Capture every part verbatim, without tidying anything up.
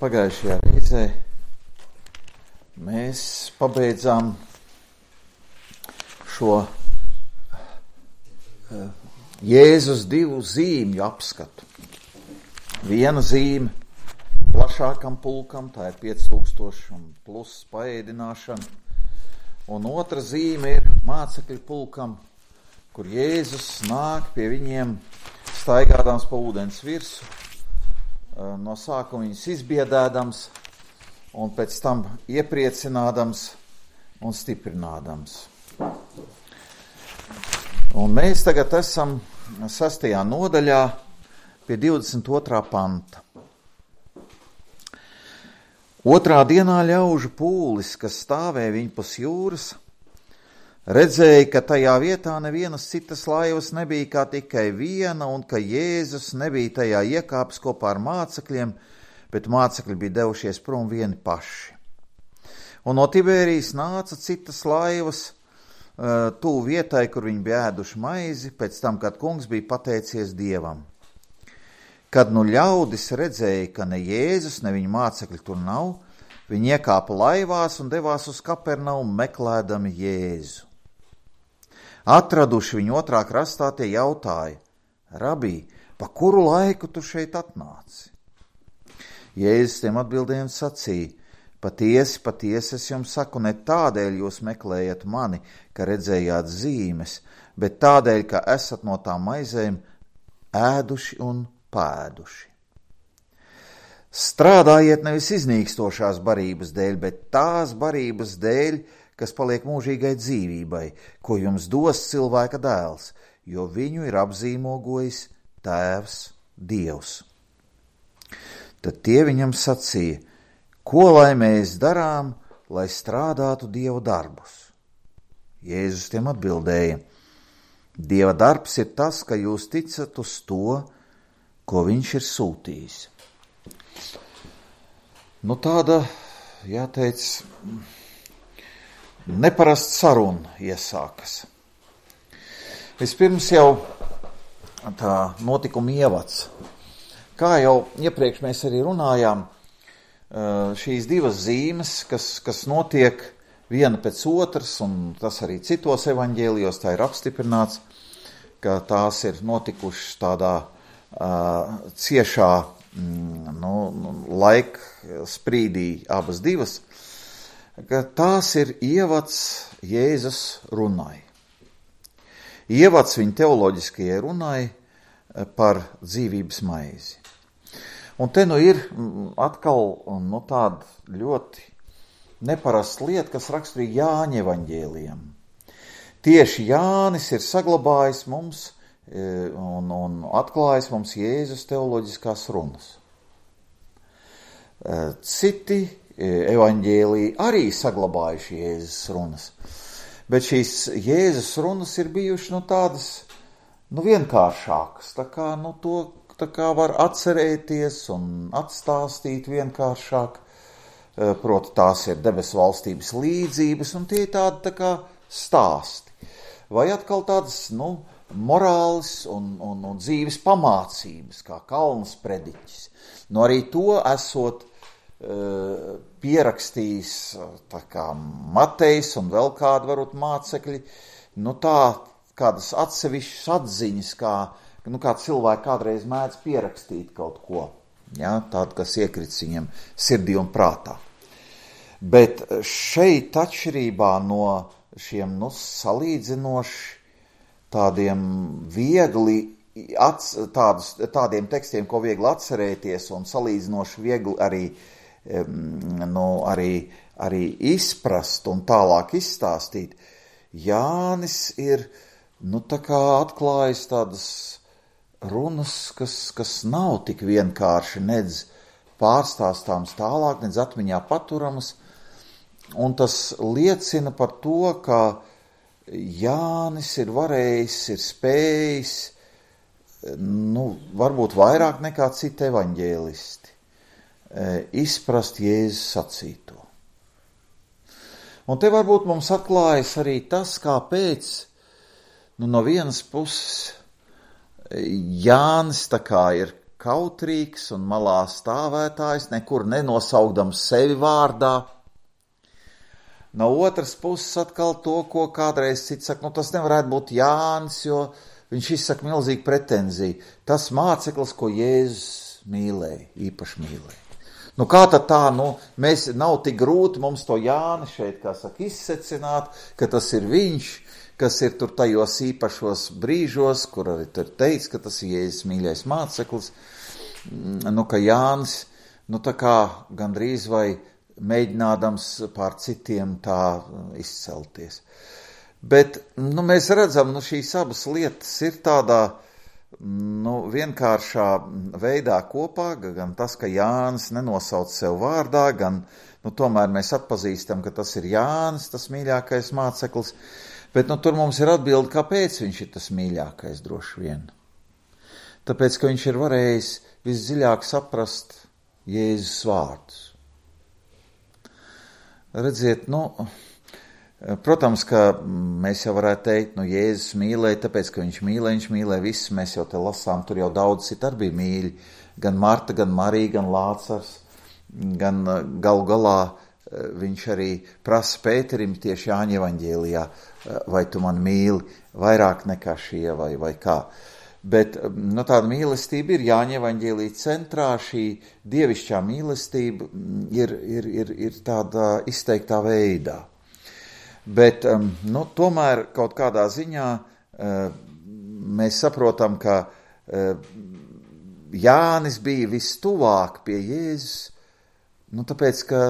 Pagājušajā reizē mēs pabeidzām šo Jēzus divu zīmju apskatu. Viena zīme plašākam pulkam, tā ir pieci tūkstoši un plus paēdināšana, un otra zīme ir mācekļu pulkam, kur Jēzus nāk pie viņiem staigādams pa ūdens virsu, no sākuma viņus izbiedēdams un pēc tam iepriecinādams un stiprinādams. Un mēs tagad esam sastajā nodaļā pie divdesmit otrā panta. Otrā dienā ļaužu pūlis, kas stāvēja viņpus jūras, redzēja, ka tajā vietā nevienas citas laivas nebija kā tikai viena, un ka Jēzus nebija tajā iekāpis kopā ar mācekļiem, bet mācekļi bija devušies prom vieni paši. Un no Tibērijas nāca citas laivas uh, tuvu vietai, kur viņi bija ēduši maizi, pēc tam, kad kungs bija pateicies Dievam. Kad nu ļaudis redzēja, ka ne Jēzus, ne viņa mācekļi tur nav, viņi iekāpa laivās un devās uz Kapernaumu meklēdami Jēzu. Atraduši viņu otrā krastā, tie jautāja: Rabī, pa kuru laiku tu šeit atnāci? Jēzus tiem atbildēja un sacīja: Patiesi, patiesi es jums saku, ne tādēļ jūs meklējat mani, ka redzējāt zīmes, bet tādēļ, ka esat no tām maizēm ēduši un pēduši. Strādājiet nevis iznīkstošās barības dēļ, bet tās barības dēļ, kas paliek mūžīgai dzīvībai, ko jums dos cilvēka dēls, jo viņu ir apzīmogojis Tēvs Dievs. Tad tie viņam sacīja: Ko lai mēs darām, lai strādātu Dieva darbus? Jēzus tiem atbildēja: Dieva darbs ir tas, ka jūs ticat uz to, ko viņš ir sūtījis. Nu tāda, jāteic, neparasta saruna iesākas. Vispirms jau tā notikuma ievads. Kā jau iepriekš mēs arī runājām, šīs divas zīmes, kas, kas notiek viena pēc otras, un tas arī citos evaņģēlijos tā ir apstiprināts, ka tās ir notikušas tādā uh, ciešā mm, nu, laika sprīdī abas divas, ka tās ir ievads Jēzus runai. Ievads viņa teoloģiskajai runai par dzīvības maizi. Un te nu ir atkal nu, tāda ļoti neparasta lieta, kas raksturīga Jāņa evaņģēlijam. Tieši Jānis ir saglabājis mums un, un atklājis mums Jēzus teoloģiskās runas. Citi evaņģēliji arī saglabājuši Jēzus runas, bet šīs Jēzus runas ir bijušas nu, tādas nu, vienkāršākas, tā kā nu, to tā kā var atcerēties un atstāstīt vienkāršāk, proti tās ir debesu valstības līdzības, un tie ir tādi tā kā stāsti. Vai atkal tādas, nu, morāles un, un, un dzīves pamācības, kā Kalnas prediķis. Nu, arī to esot uh, pierakstījis tā kā Matejs un vēl kādi varbūt mācekļi, nu tā kādas atsevišķas atziņas, kā Nu, kā cilvēki kādreiz mēdz pierakstīt kaut ko, ja, tādu, kas iekrits viņam sirdī un prātā. Bet šeit atšķirībā no šiem nu, salīdzinoši tādiem viegli, ats, tādus, tādiem tekstiem, ko viegli atcerēties un salīdzinoši viegli arī, nu, arī, arī izprast un tālāk izstāstīt, Jānis ir nu, tā kā atklājis tādas runas, kas, kas nav tik vienkārši nedz pārstāstāms tālāk, nedz atmiņā paturamas, un tas liecina par to, ka Jānis ir varējis, ir spējis, nu, varbūt vairāk nekā citi evaņģēlisti, izprast Jēzus sacīto. Un te varbūt mums atklājas arī tas, kāpēc, nu, no vienas puses Jānis tā kā ir kautrīgs un malā stāvētājs, nekur nenosaukdams sevi vārdā. No otras puses atkal to, ko kādreiz cits saka, nu tas nevarētu būt Jānis, jo viņš izsaka milzīgu pretenziju. Tas māceklis, ko Jēzus mīlēja, īpaši mīlēja. Nu kā tad tā, nu, mēs nav tik grūti mums to Jāni šeit, kā saka, izsecināt, ka tas ir viņš, kas ir tur tajos īpašos brīžos, kur arī tur teica, ka tas ir Jēzus mīļais māceklis, nu, ka Jānis, nu, tā kā gandrīz vai mēģinādams pār citiem tā izcelties. Bet, nu, mēs redzam, nu, šīs abas lietas ir tādā, nu, vienkāršā veidā kopā, gan tas, ka Jānis nenosauc sev vārdā, gan, nu, tomēr mēs atpazīstam, ka tas ir Jānis, tas mīļākais māceklis, bet, nu, tur mums ir atbilde, kāpēc viņš ir tas mīļākais droši vien. Tāpēc, ka viņš ir varējis visdziļāk saprast Jēzus vārdus. Redziet, nu, protams, ka mēs jau varētu teikt, nu, Jēzus mīlēja, tāpēc, ka viņš mīlēja, viņš mīlēja visus, mēs jau te lasām, tur jau daudz citi arī bija mīļi, gan Marta, gan Marija, gan Lācars, gan galu galā viņš arī prasa Pēterim tieši Jāņa evaņģēlijā, vai tu man mīli vairāk nekā šie, vai, vai kā. Bet, nu, tāda mīlestība ir Jāņa evaņģēlija centrā, šī dievišķā mīlestība ir, ir, ir, ir tādā izteiktā veidā. Bet, nu, tomēr kaut kādā ziņā mēs saprotam, ka Jānis bija vistuvāk pie Jēzus, nu, tāpēc, ka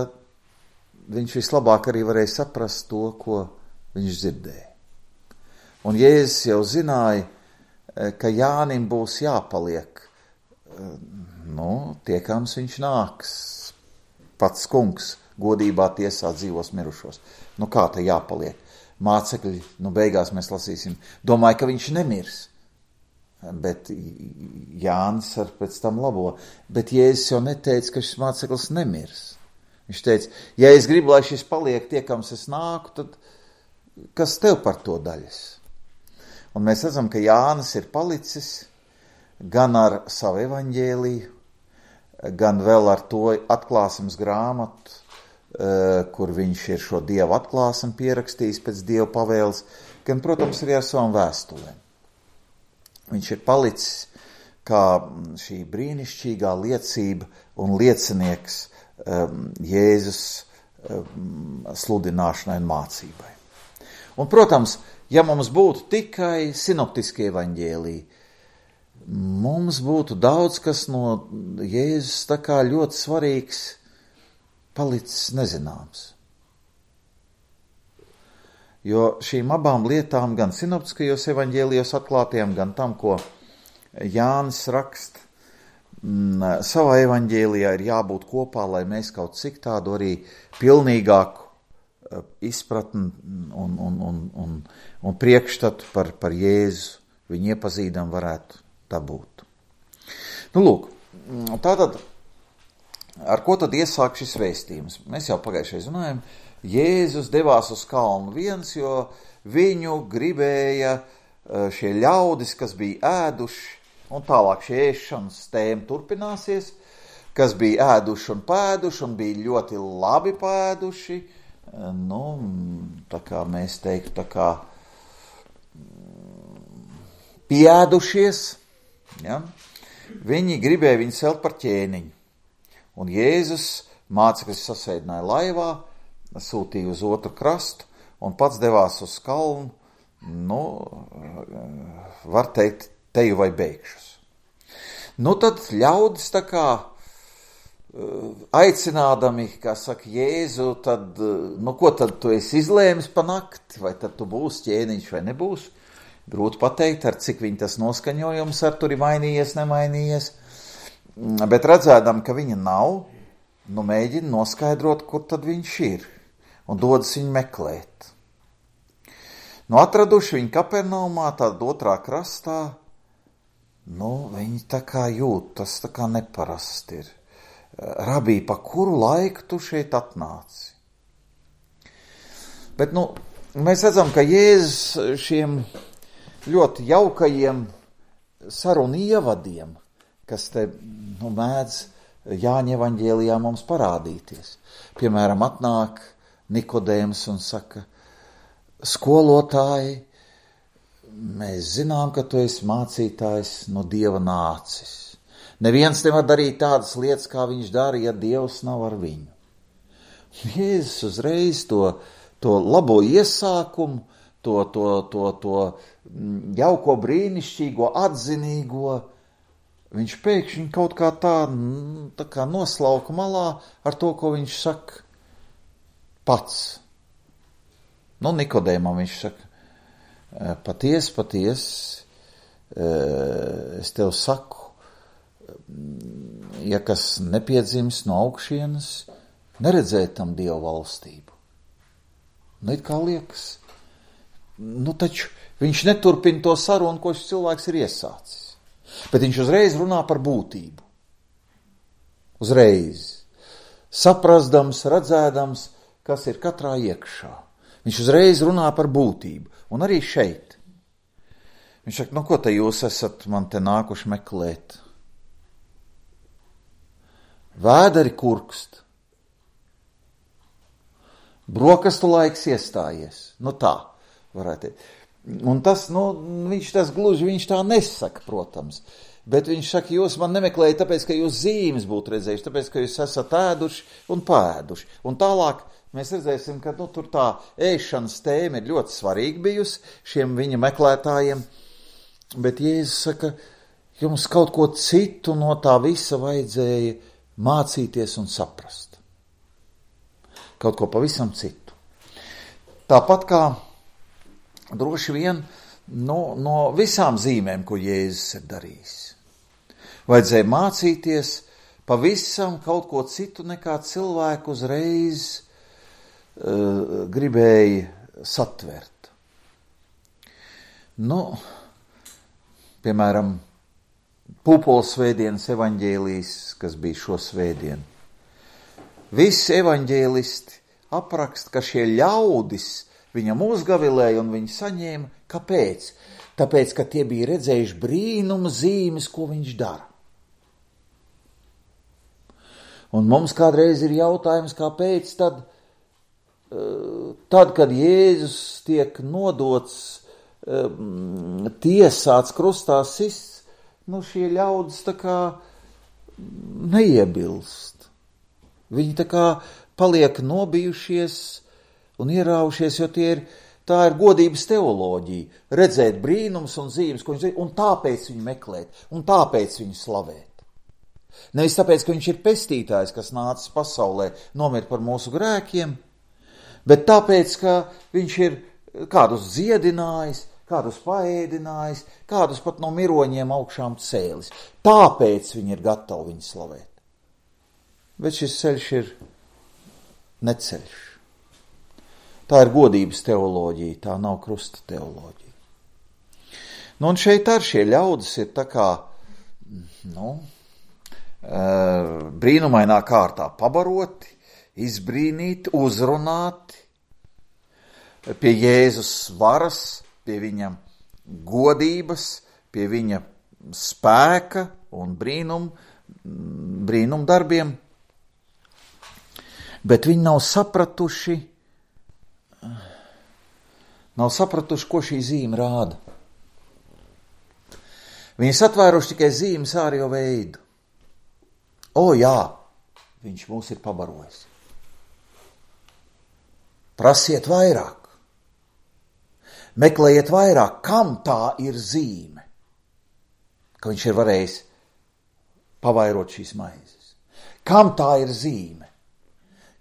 viņš vislabāk arī varēja saprast to, ko viņš dzirdēja. Un Jēzus jau zināja, ka Jānim būs jāpaliek, nu, tiekams viņš nāks, pats kungs, godībā tiesā dzīvos mirušos. Nu, kā te jāpaliek? Mācekļi, nu, beigās mēs lasīsim, domāju, ka viņš nemirs. Bet Jānis ar pēc tam labo. Bet Jēzus jau neteica, ka šis māceklis nemirs. Viņš teica, ja es gribu, lai šis paliek tiekams es nāku, tad kas tev par to daļas? Un mēs redzam, ka Jānis ir palicis gan ar savu evaņģēliju, gan vēl ar to atklāsmes grāmatu, kur viņš ir šo Dievu atklāsmi pierakstījis pēc Dieva pavēles, gan, protams, arī ar savām vēstulēm. Viņš ir palicis kā šī brīnišķīgā liecība un liecinieks um, Jēzus um, sludināšanai un mācībai. Un, protams, ja mums būtu tikai sinoptiskie evaņģēliji, mums būtu daudz kas no Jēzus tā kā ļoti svarīgs palicis nezināms. Jo šīm abām lietām, gan sinoptiskajos evaņģēlijos atklātiem, gan tam, ko Jānis rakst, m, savā evaņģēlijā ir jābūt kopā, lai mēs kaut cik tādu arī pilnīgāku izpratni un, un, un, un, un priekšstatu par, par Jēzu viņu iepazīdam varētu dabūt. Nu, lūk, tātad, ar ko tad iesāk šis vēstījums? Mēs jau pagājušajā runājam, Jēzus devās uz kalnu viens, jo viņu gribēja šie ļaudis, kas bija ēduši, un tālāk šie ēšanas tēma turpināsies, kas bija ēduši un pēduši, un bija ļoti labi pēduši, nu, tā kā mēs teiktu, tā kā pieēdušies, ja? Viņi gribēja viņu celt par ķēniņu. Un Jēzus mācekļus sasēdināja laivā, sūtīja uz otru krastu un pats devās uz kalnu, nu, var teikt, teju vai beigšus. Nu, tad ļaudis tā kā aicinādami, kā saka Jēzu, tad, nu, ko tad tu esi izlēmis pa nakti, vai tad tu būsi ķēniņš vai nebūs? Grūti pateikt, ar cik viņi tas noskaņojums ar tur ir mainījies, nemainījies, bet redzēdam, ka viņa nav, nu, mēģina noskaidrot, kur tad viņš ir, un dodas viņu meklēt. Nu, atraduši viņu Kapernaumā, tad otrā krastā, nu, viņi tā kā jūt, tas tā kā neparasti ir. Rabī, pa kuru laiku tu šeit atnāci? Bet, nu, mēs redzam, ka Jēzus šiem ļoti jaukajiem sarunu ievadiem, kas te nu, mēdz Jāņa evaņģēlijā mums parādīties. Piemēram, atnāk Nikodēms un saka, skolotāji, mēs zinām, ka tu esi mācītājs no Dieva nācis. Neviens nevar darīt tādas lietas, kā viņš dara, ja Dievs nav ar viņu. Jēzus uzreiz to, to labo iesākumu, to, to, to, to jauko brīnišķīgo, atzinīgo, viņš pēkšņi kaut kā tā, tā kā noslauka malā ar to, ko viņš saka pats. Nu, Nikodēmam viņš saka, paties, paties, es tev saku, ja kas nepiedzims no augšienes, neredzēt tam Dieva valstību. Nu, it kā liekas, nu taču viņš neturpina to sarunu, ko šis cilvēks ir iesācis. Bet viņš uzreiz runā par būtību. Uzreiz. Saprasdams, redzēdams, kas ir katrā iekšā. Viņš uzreiz runā par būtību. Un arī šeit. Viņš saka, nu ko te jūs esat man te nākuši meklēt? Vēderi kurkst. Brokastu laiks iestājies. Nu tā, varētu teikt. Un tas, nu, viņš tas gluži, viņš tā nesaka, protams. Bet viņš saka, jūs man nemeklējat tāpēc, ka jūs zīmes būtu redzējuši, tāpēc, ka jūs esat ēduši un pēduši. Un tālāk mēs redzēsim, ka, nu, tur tā ēšanas tēma ir ļoti svarīga bijusi šiem viņa meklētājiem. Bet Jēzus saka, jums kaut ko citu no tā visa vajadzēja mācīties un saprast. Kaut ko pavisam citu. Tāpat kā droši vien no, no visām zīmēm, ko Jēzus ir darījis. Vajadzēja mācīties pavisam kaut ko citu, nekā cilvēku uzreiz uh, gribēja satvert. Nu, piemēram, Pūpoles svētdienas evaņģēlijs, kas bija šo svētdienu. Visi evaņģēlisti apraksta, ka šie ļaudis viņam uzgavilēja un viņi saņēma. Kāpēc? Tāpēc, ka tie bija redzējuši brīnuma zīmes, ko viņš dara. Un mums kādreiz ir jautājums, kāpēc tad, tad kad Jēzus tiek nodots, tiesāts, krustā sists, nu šie ļaudis tā kā neiebilst. Viņi tā kā paliek nobijušies un ieraušies, jo tie ir, tā ir godības teoloģija, redzēt brīnums un zīmes, ko viņš zina, un tāpēc viņu meklēt, un tāpēc viņu slavēt. Nevis tāpēc, ka viņš ir pestītājs, kas nācis pasaulē nomirt par mūsu grēkiem, bet tāpēc, ka viņš ir kādus dziedinājis, kādus paēdinājis, kādus pat no miroņiem augšām cēlis. Tāpēc viņi ir gatavi viņu slavēt. Bet šis ceļš ir neceļš. Tā ir godības teoloģija, tā nav krusta teoloģija. Nu, un šeit ar šie ļaudis ir tā kā, nu, brīnumainā kārtā pabaroti, izbrīnīti, uzrunāti, pie Jēzus varas, pie viņa godības, pie viņa spēka un brīnum, brīnum darbiem. Bet viņi nav sapratuši, nav sapratuši, ko šī zīme rāda. Viņi satvēruši tikai zīmes ārējo veidu. O jā, viņš mūs ir pabarojis. Prasiet vairāk. Meklējiet vairāk, kam tā ir zīme, ka viņš ir varējis pavairot šīs maizes. Kam tā ir zīme,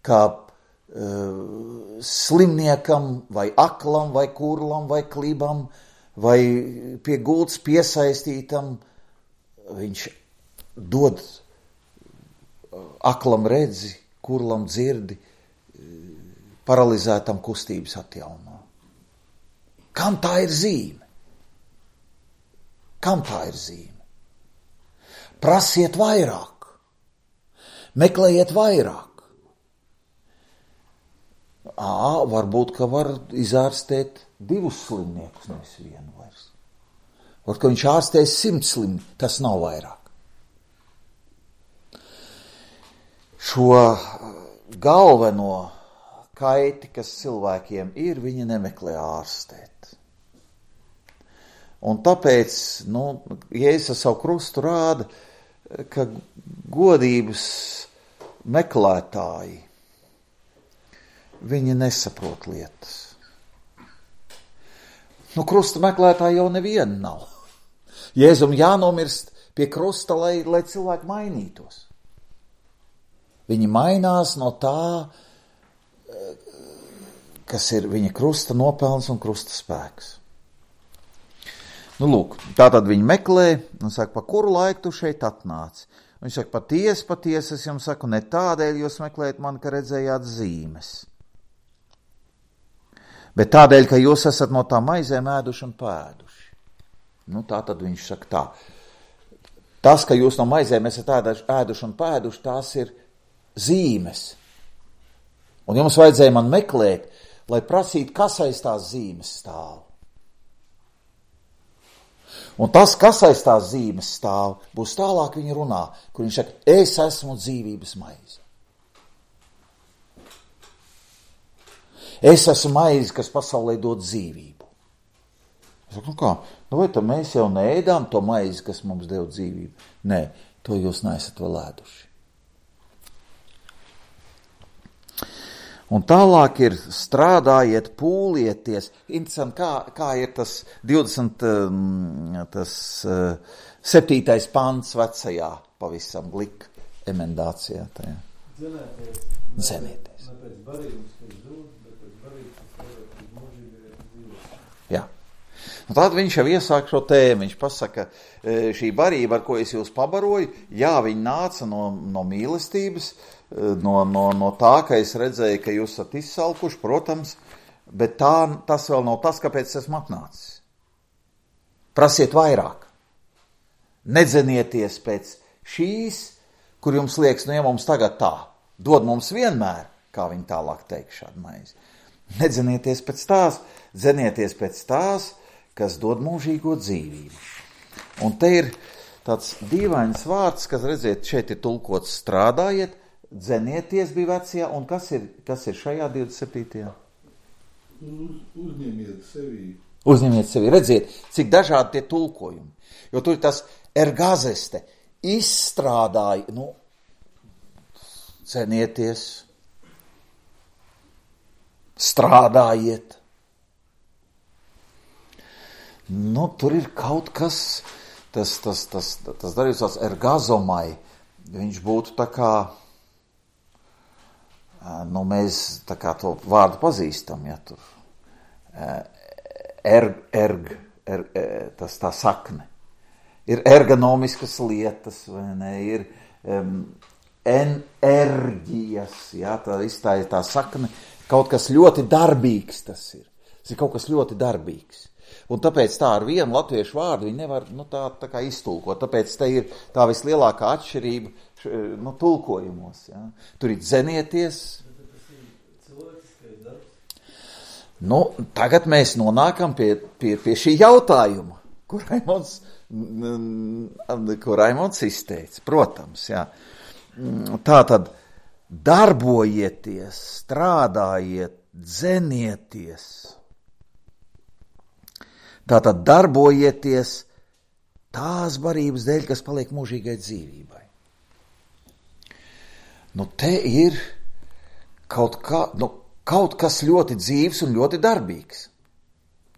kā uh, slimniekam, vai aklam, vai kurlam, vai klibam, vai pie gultas piesaistītam, viņš dod aklam redzi, kurlam dzirdi, paralizētam kustības atjauno. Kam tā ir zīme? Kam tā ir zīme? Prasiet vairāk, meklējiet vairāk. Ā, varbūt, ka var izārstēt divus slimniekus, nevis vienu vairs. Varbūt, ka viņš ārstēs simt slimnieku, tas nav vairāk. šo galveno kaiti, kas cilvēkiem ir, viņi nemeklē ārstēt. Un tāpēc, nu, Jēzus ar savu krustu rāda, ka godības meklētāji, viņi nesaprot lietas. Nu, krusta meklētāji jau neviena nav. Jēzum jānomirst pie krusta, lai, lai cilvēki mainītos. Viņi mainās no tā, kas ir viņa krusta nopelns un krusta spēks. Nu, lūk, tātad viņi meklē un saka, pa kuru laiku tu šeit atnāc? Viņš saka, patiesi, patiesi, es jums saku, ne tādēļ jūs meklējat mani, ka redzējāt zīmes, bet tādēļ, ka jūs esat no tā maizēm ēduši un pēduši. Nu, tātad viņš saka tā. Tas, ka jūs no maizēm esat ēduši un pēduši, tās ir zīmes. Un jums vajadzēja man meklēt, lai prasītu, kas aiz tās zīmes stāv. Un tas, kas aiz tās zīmes stāv, būs tālāk viņa runā, kur viņš saka, es esmu dzīvības maize. Es esmu maize, kas pasaulē dod dzīvību. Es saku, nu kā, nu vai tad mēs jau neēdām to maizi, kas mums dod dzīvību? Nē, to jūs neesat vēl ēduši. Un tālāk ir strādājiet, pūlieties. Interesanti, kā, kā ir tas divdesmit septītais pants vecajā pavisam glika emendācijā. Tajā. Dzenēties. Dzenēties. Ne pēc barības, pēc dūdas, bet pēc barības, pēc mūžīgajā dzīves. Jā. Un tad viņš jau iesāk šo tēmu. Viņš pasaka, šī barība, ar ko es jūs pabaroju, jā, viņa nāca no, no mīlestības, No, no, no tā, ka es redzēju, ka jūs esat izsalkuši, protams, bet tā, tas vēl nav tas, kāpēc esmu atnācis. Prasiet vairāk. Nedzenieties pēc šīs, kur jums liekas, nu ja mums tagad tā, dod mums vienmēr, kā viņi tālāk teiks šādu maizi. Nedzenieties pēc tās, dzenieties pēc tās, kas dod mūžīgo dzīvību. Un te ir tāds dīvains vārds, kas, redziet, šeit ir tulkots strādājiet, dzenieties bija vecajā, un kas ir, kas ir šajā divdesmit septītajā? Uz, uzņemiet sevi. Uzņemiet sevi. Redziet, cik dažādi tie tulkojumi. Jo tur ir tas ergazeste, izstrādāji, nu, cenieties, strādājiet. Nu, tur ir kaut kas, tas, tas, tas, tas darījums tāds ergazomai, viņš būtu tā kā, nu, mēs tā kā to vārdu pazīstam, ja tur erg, erg, erg, tas tā sakne. Ir ergonomiskas lietas, vai ne, ir um, enerģijas, ja, tā izstāja tā sakne, kaut kas ļoti darbīgs tas ir. Tas ir kaut kas ļoti darbīgs. Un tāpēc tā ar vienu latviešu vārdu viņi nevar, nu, tā, tā kā iztulkot. Tāpēc te ir tā vislielākā atšķirība, nu, tulkojumos, ja. Tur ir dzenieties. Nu, tagad mēs nonākam pie, pie, pie šī jautājuma, kur Raimons, kur Raimons izteica, protams, jā. Tātad darbojieties, strādājiet, dzenieties. Tātad darbojieties tās barības dēļ, kas paliek mūžīgai dzīvībai. Nu, te ir kaut, kā, nu, kaut kas ļoti dzīves un ļoti darbīgs.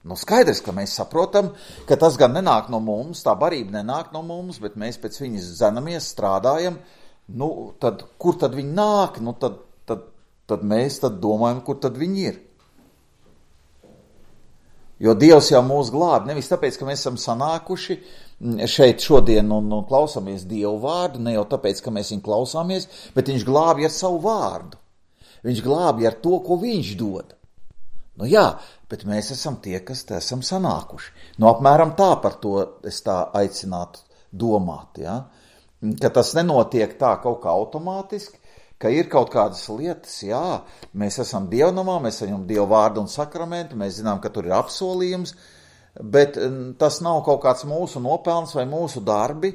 Nu, skaidrs, ka mēs saprotam, ka tas gan nenāk no mums, tā barība nenāk no mums, bet mēs pēc viņas dzenamies, strādājam. Nu, tad, kur tad viņi nāk? Nu, tad, tad, tad mēs tad domājam, kur tad viņi ir. Jo Dievs jau mūs glāb, nevis tāpēc, ka mēs esam sanākuši šeit šodien un, un klausāmies Dievu vārdu, ne jau tāpēc, ka mēs viņu klausāmies, bet viņš glābj ar savu vārdu. Viņš glābj ar to, ko viņš dod. Nu jā, bet mēs esam tie, kas te esam sanākuši. Nu apmēram tā par to es tā aicinātu domāt, ja? Ka tas nenotiek tā kaut kā automātiski, ka ir kaut kādas lietas, jā, mēs esam dievnamā, mēs saņemam Dievu vārdu un sakramentu, mēs zinām, ka tur ir apsolījums, bet tas nav kaut kāds mūsu nopelns vai mūsu darbi,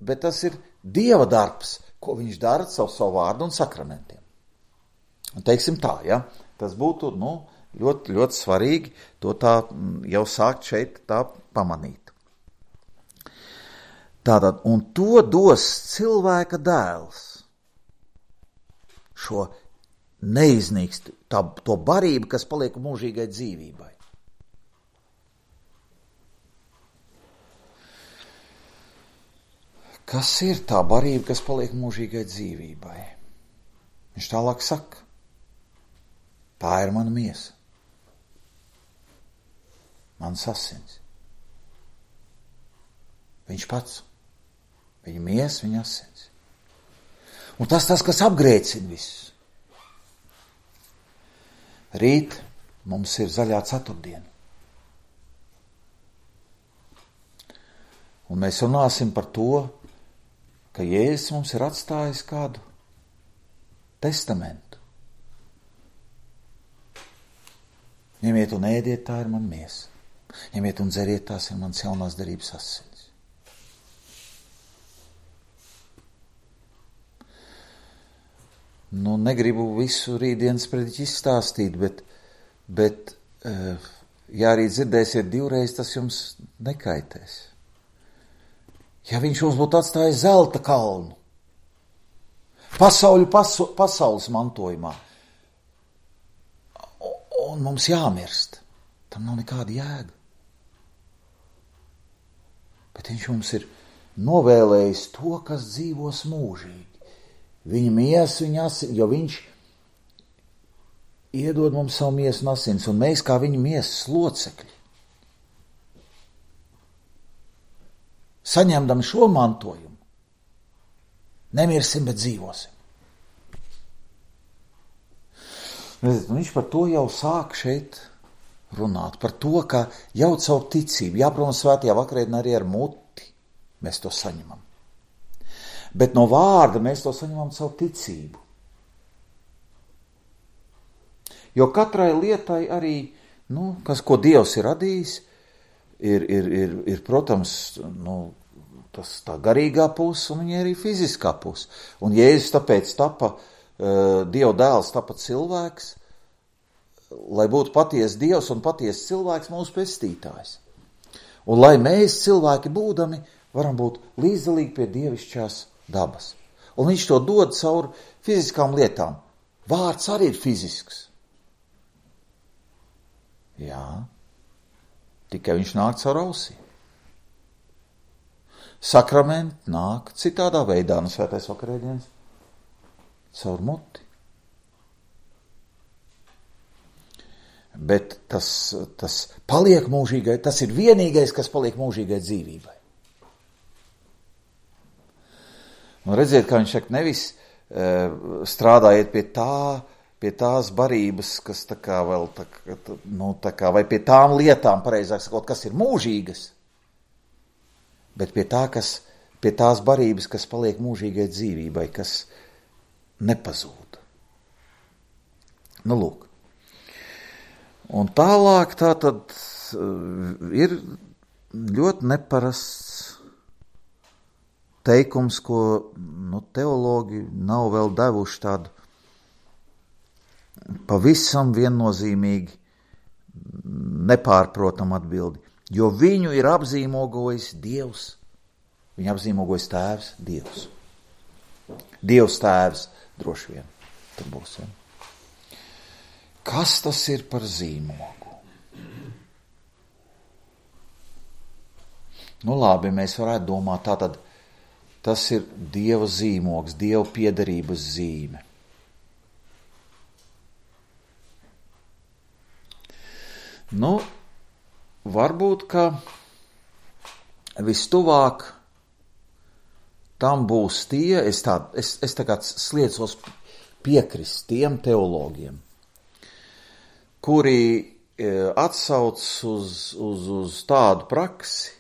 bet tas ir Dieva darbs, ko viņš dara savu, savu vārdu un sakramentiem. Un teiksim tā, ja, tas būtu, nu, ļoti, ļoti svarīgi to tā jau sākt šeit tā pamanīt. Tātad, un to dos cilvēka dēls. Šo neiznīkst, tā, to barību, kas paliek mūžīgai dzīvībai. Kas ir tā barība, kas paliek mūžīgai dzīvībai? Viņš tālāk saka, tā ir mana miesa, mans asins. Viņš pats, viņa miesa, viņa asins. Un tas tas, kas apgrēcina visus. Rīt mums ir zaļā ceturtdiena. Un mēs runāsim par to, ka Jēzus mums ir atstājis kādu testamentu. Ņemiet un ēdiet, tā ir man miesa. Ņemiet un dzeriet, tās ir mans jaunās derības asins. Nu, negribu visu rītdienas prediķi izstāstīt, bet, bet ja arī dzirdēsiet divreiz, tas jums nekaitēs. Ja viņš mums būtu atstājis zelta kalnu, pasauļu pasu, pasaules mantojumā, un mums jāmirst, tam nav nekāda jēga. Bet viņš mums ir novēlējis to, kas dzīvos mūžīgi. Viņa miesa, viņa asins, jo viņš iedod mums savu miesu un asins, un mēs kā viņa miesas locekļi, saņemdami šo mantojumu, nemirsim, bet dzīvosim. Viņš par to jau sāk šeit runāt, par to, ka jau caur ticību, jā, protams, svētajā vakarēdienā arī ar muti mēs to saņemam. Bet no vārda mēs to saņemam caur ticību. Jo katrai lietai arī, nu, kas, ko Dievs ir radījis, ir, ir, ir, ir protams, nu, tas tā garīgā puse un viņa arī fiziskā puse. Un Jēzus tāpēc tapa, uh, Dieva dēls tapa cilvēks, lai būtu patiesa Dievs un patiesa cilvēks mūsu pestītājs. Un lai mēs cilvēki būdami varam būt līdzdalīgi pie dievišķās dabas. Un viņš to dod caur fiziskām lietām. Vārds arī ir fizisks. Jā, tikai viņš nāk caur ausī. Sakramenti nāk citādā veidā, no svētais vakarēdienas, caur muti. Bet tas, tas paliek mūžīgai, tas ir vienīgais, kas paliek mūžīgai dzīvībai. Un redziet, kā viņš saka, nevis uh, strādājiet pie tā, pie tās barības, kas tā kā vēl, tā, nu, tā kā, vai pie tām lietām, pareizāk sakot, kas ir mūžīgas, bet pie tā, kas, pie tās barības, kas paliek mūžīgai dzīvībai, kas nepazūd. Nu, lūk. Un tālāk tā tad uh, ir ļoti neparasts teikums, ko nu, teologi nav vēl devuši tādu pavisam viennozīmīgi nepārprotam atbildi. Jo viņu ir apzīmogojis Dievs. Viņu apzīmogojis tēvs Dievs. Dievs tēvs droši vien. Tur būs. Ja? Kas tas ir par zīmogu? Nu labi, mēs varētu domāt tātad, tas ir Dieva zīmogs, Dieva piederības zīme. Nu, varbūt, ka vistuvāk tam būs tie, es, tā, es, es tagad sliecos piekrist tiem teologiem, kuri atsauc uz, uz, uz tādu praksi,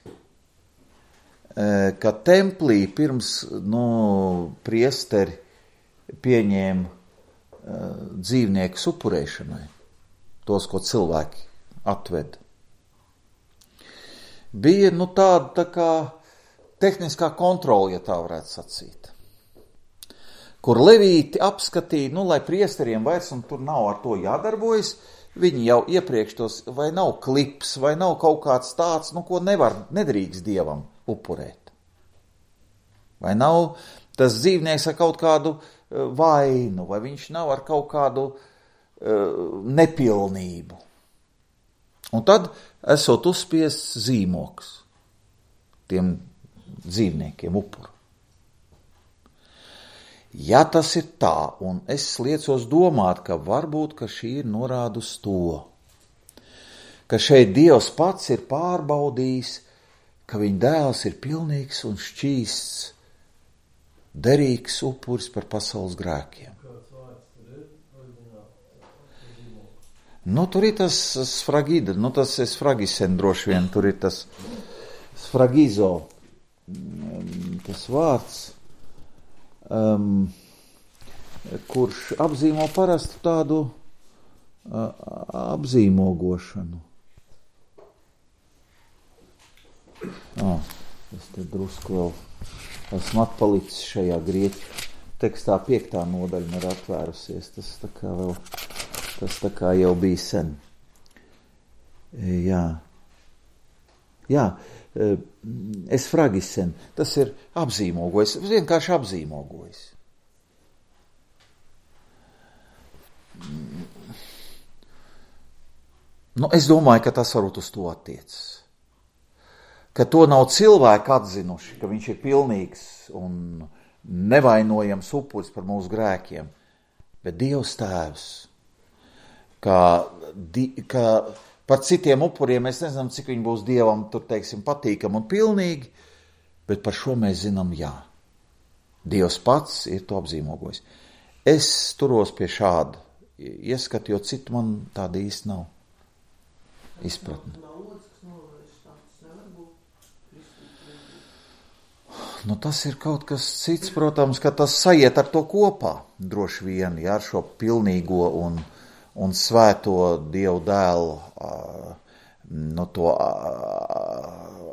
ka templī pirms nu, priesteri pieņēma uh, dzīvnieku upurēšanai, tos, ko cilvēki atveda. Bija nu, tāda tā kā tehniskā kontrola, ja tā varētu sacīt. kur levīti apskatīja, nu, lai priesteriem vairs, un tur nav ar to jādarbojas, viņi jau iepriekš tos, vai nav klips, vai nav kaut kāds tāds, nu, ko nevar, nedrīkst Dievam upurēt. Vai nav tas dzīvnieks ar kaut kādu uh, vainu, vai viņš nav ar kaut kādu uh, nepilnību. Un tad esot uzspiests zīmoks tiem dzīvniekiem upuru. Ja tas ir tā, un es liecos domāt, ka varbūt, ka šī ir norāda uz to, ka šeit Dievs pats ir pārbaudījis, ka viņa dēls ir pilnīgs un šķīsts, derīgs upuris par pasaules grēkiem. Nu, tur ir tas sfragida, nu, tas ir sfragisen droši vien, tur ir tas sfragizo, tas vārds, Um, kurš apzīmo parastu tādu uh, apzīmogošanu. Oh, es te drusku vēl esmu atpalicis šajā grieķu tekstā, piektā nodaļa ir atvērusies. Tas tā kā vēl, tas tā kā jau bija sen. Jā. Jā. Es fragisen, tas ir apzīmogojis, vienkārši apzīmogojis. Nu, es domāju, ka tas varbūt uz to attiecas. Ka to nav cilvēki atzinuši, ka viņš ir pilnīgs un nevainojams upuris par mūsu grēkiem, bet Dievs tēvs, ka, ka par citiem upuriem mēs nezinām, cik viņi būs Dievam, tur teiksim, patīkam un pilnīgi, bet par šo mēs zinām, jā. Dievs pats ir to apzīmogojis. Es turos pie šāda ieskatu, jo citu man tāda īsti nav izpratne. Nu, tas ir kaut kas cits, protams, ka tas sajiet ar to kopā, droši vien, jā, ar šo pilnīgo un un svēto Dievu dēlu no to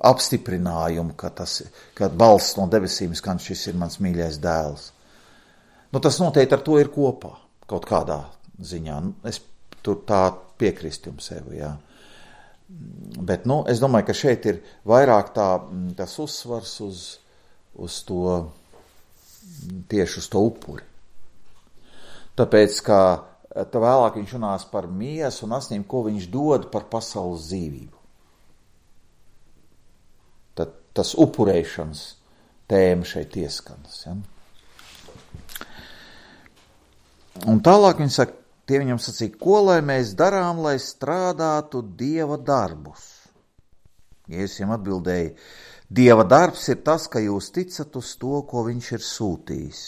apstiprinājumu, ka tas, ka balsts no debesīm skan, šis ir mans mīļais dēls. Nu, tas noteikti ar to ir kopā, kaut kādā ziņā. Es tur tā piekrist jums sev, jā. Bet, nu, es domāju, ka šeit ir vairāk tā, tas uzsvars uz, uz to, tieši uz to upuri. Tāpēc, ka tā vēlāk viņš runās par miesu un asnīm, ko viņš dod par pasaules dzīvību. Tad tas upurēšanas tēma šeit ieskanas. Ja? Un tālāk viņš saka, tie viņam sacīja, ko lai mēs darām, lai strādātu Dieva darbus? Jēzus viņam atbildēja, Dieva darbs ir tas, ka jūs ticat uz to, ko viņš ir sūtījis.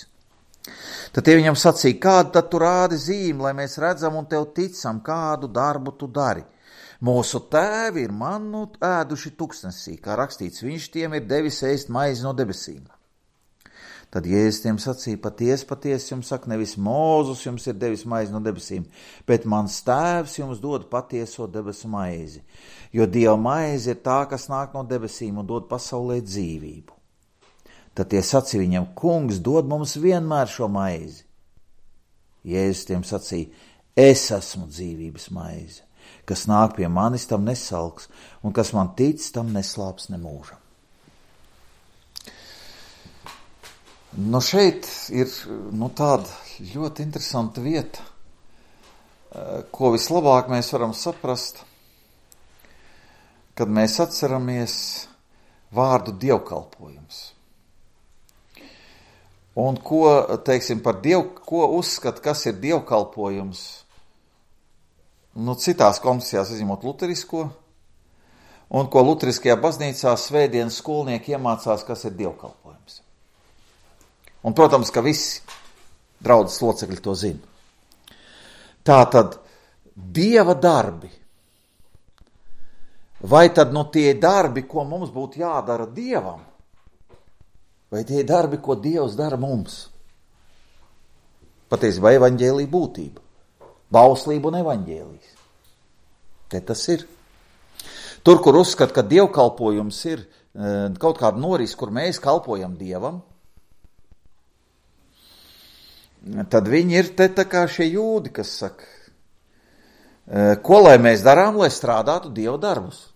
Tad tie viņam sacīja, kādu tad tu rādi zīmi, lai mēs redzam un tev ticam, kādu darbu tu dari. Mūsu tēvi ir mannu ēduši tuksnesī, kā rakstīts, viņš tiem ir devis ēst maizi no debesīm. Tad Jēzus tiem sacīja, paties, paties jums saka, nevis Mūzus jums ir devis maizi no debesīm, bet mans tēvs jums dod patieso debesu maizi, jo Dieva maize ir tā, kas nāk no debesīm un dod pasaulē dzīvību. Tad tie sacīja viņam, kungs, dod mums vienmēr šo maizi. Jēzus tiem sacīja, es esmu dzīvības maize, kas nāk pie manis, tam nesalks, un kas man tic, tam neslāps nemūžam. Nu šeit ir nu, tāda ļoti interesanta vieta, ko vislabāk mēs varam saprast, kad mēs atceramies vārdu dievkalpojums. Un ko, teiksim, par diev, ko uzskata, kas ir dievkalpojums, nu, citās konfesijās izņemot luterisko, un ko luteriskajā baznīcā svētdienas skolnieki iemācās, kas ir dievkalpojums. Un, protams, ka visi draudzes locekļi to zina. Tātad, Dieva darbi, vai tad nu tie darbi, ko mums būtu jādara Dievam, vai tie darbi, ko Dievs dara mums? Patiesībā evaņģēlija būtība, bauslība un evaņģēlijs. Te tas ir. Tur, kur uzskata, ka dievkalpojums ir kaut kāda noris, kur mēs kalpojam Dievam, tad viņi ir te tā kā šie jūdi, kas saka, ko lai mēs darām, lai strādātu Dieva darbus.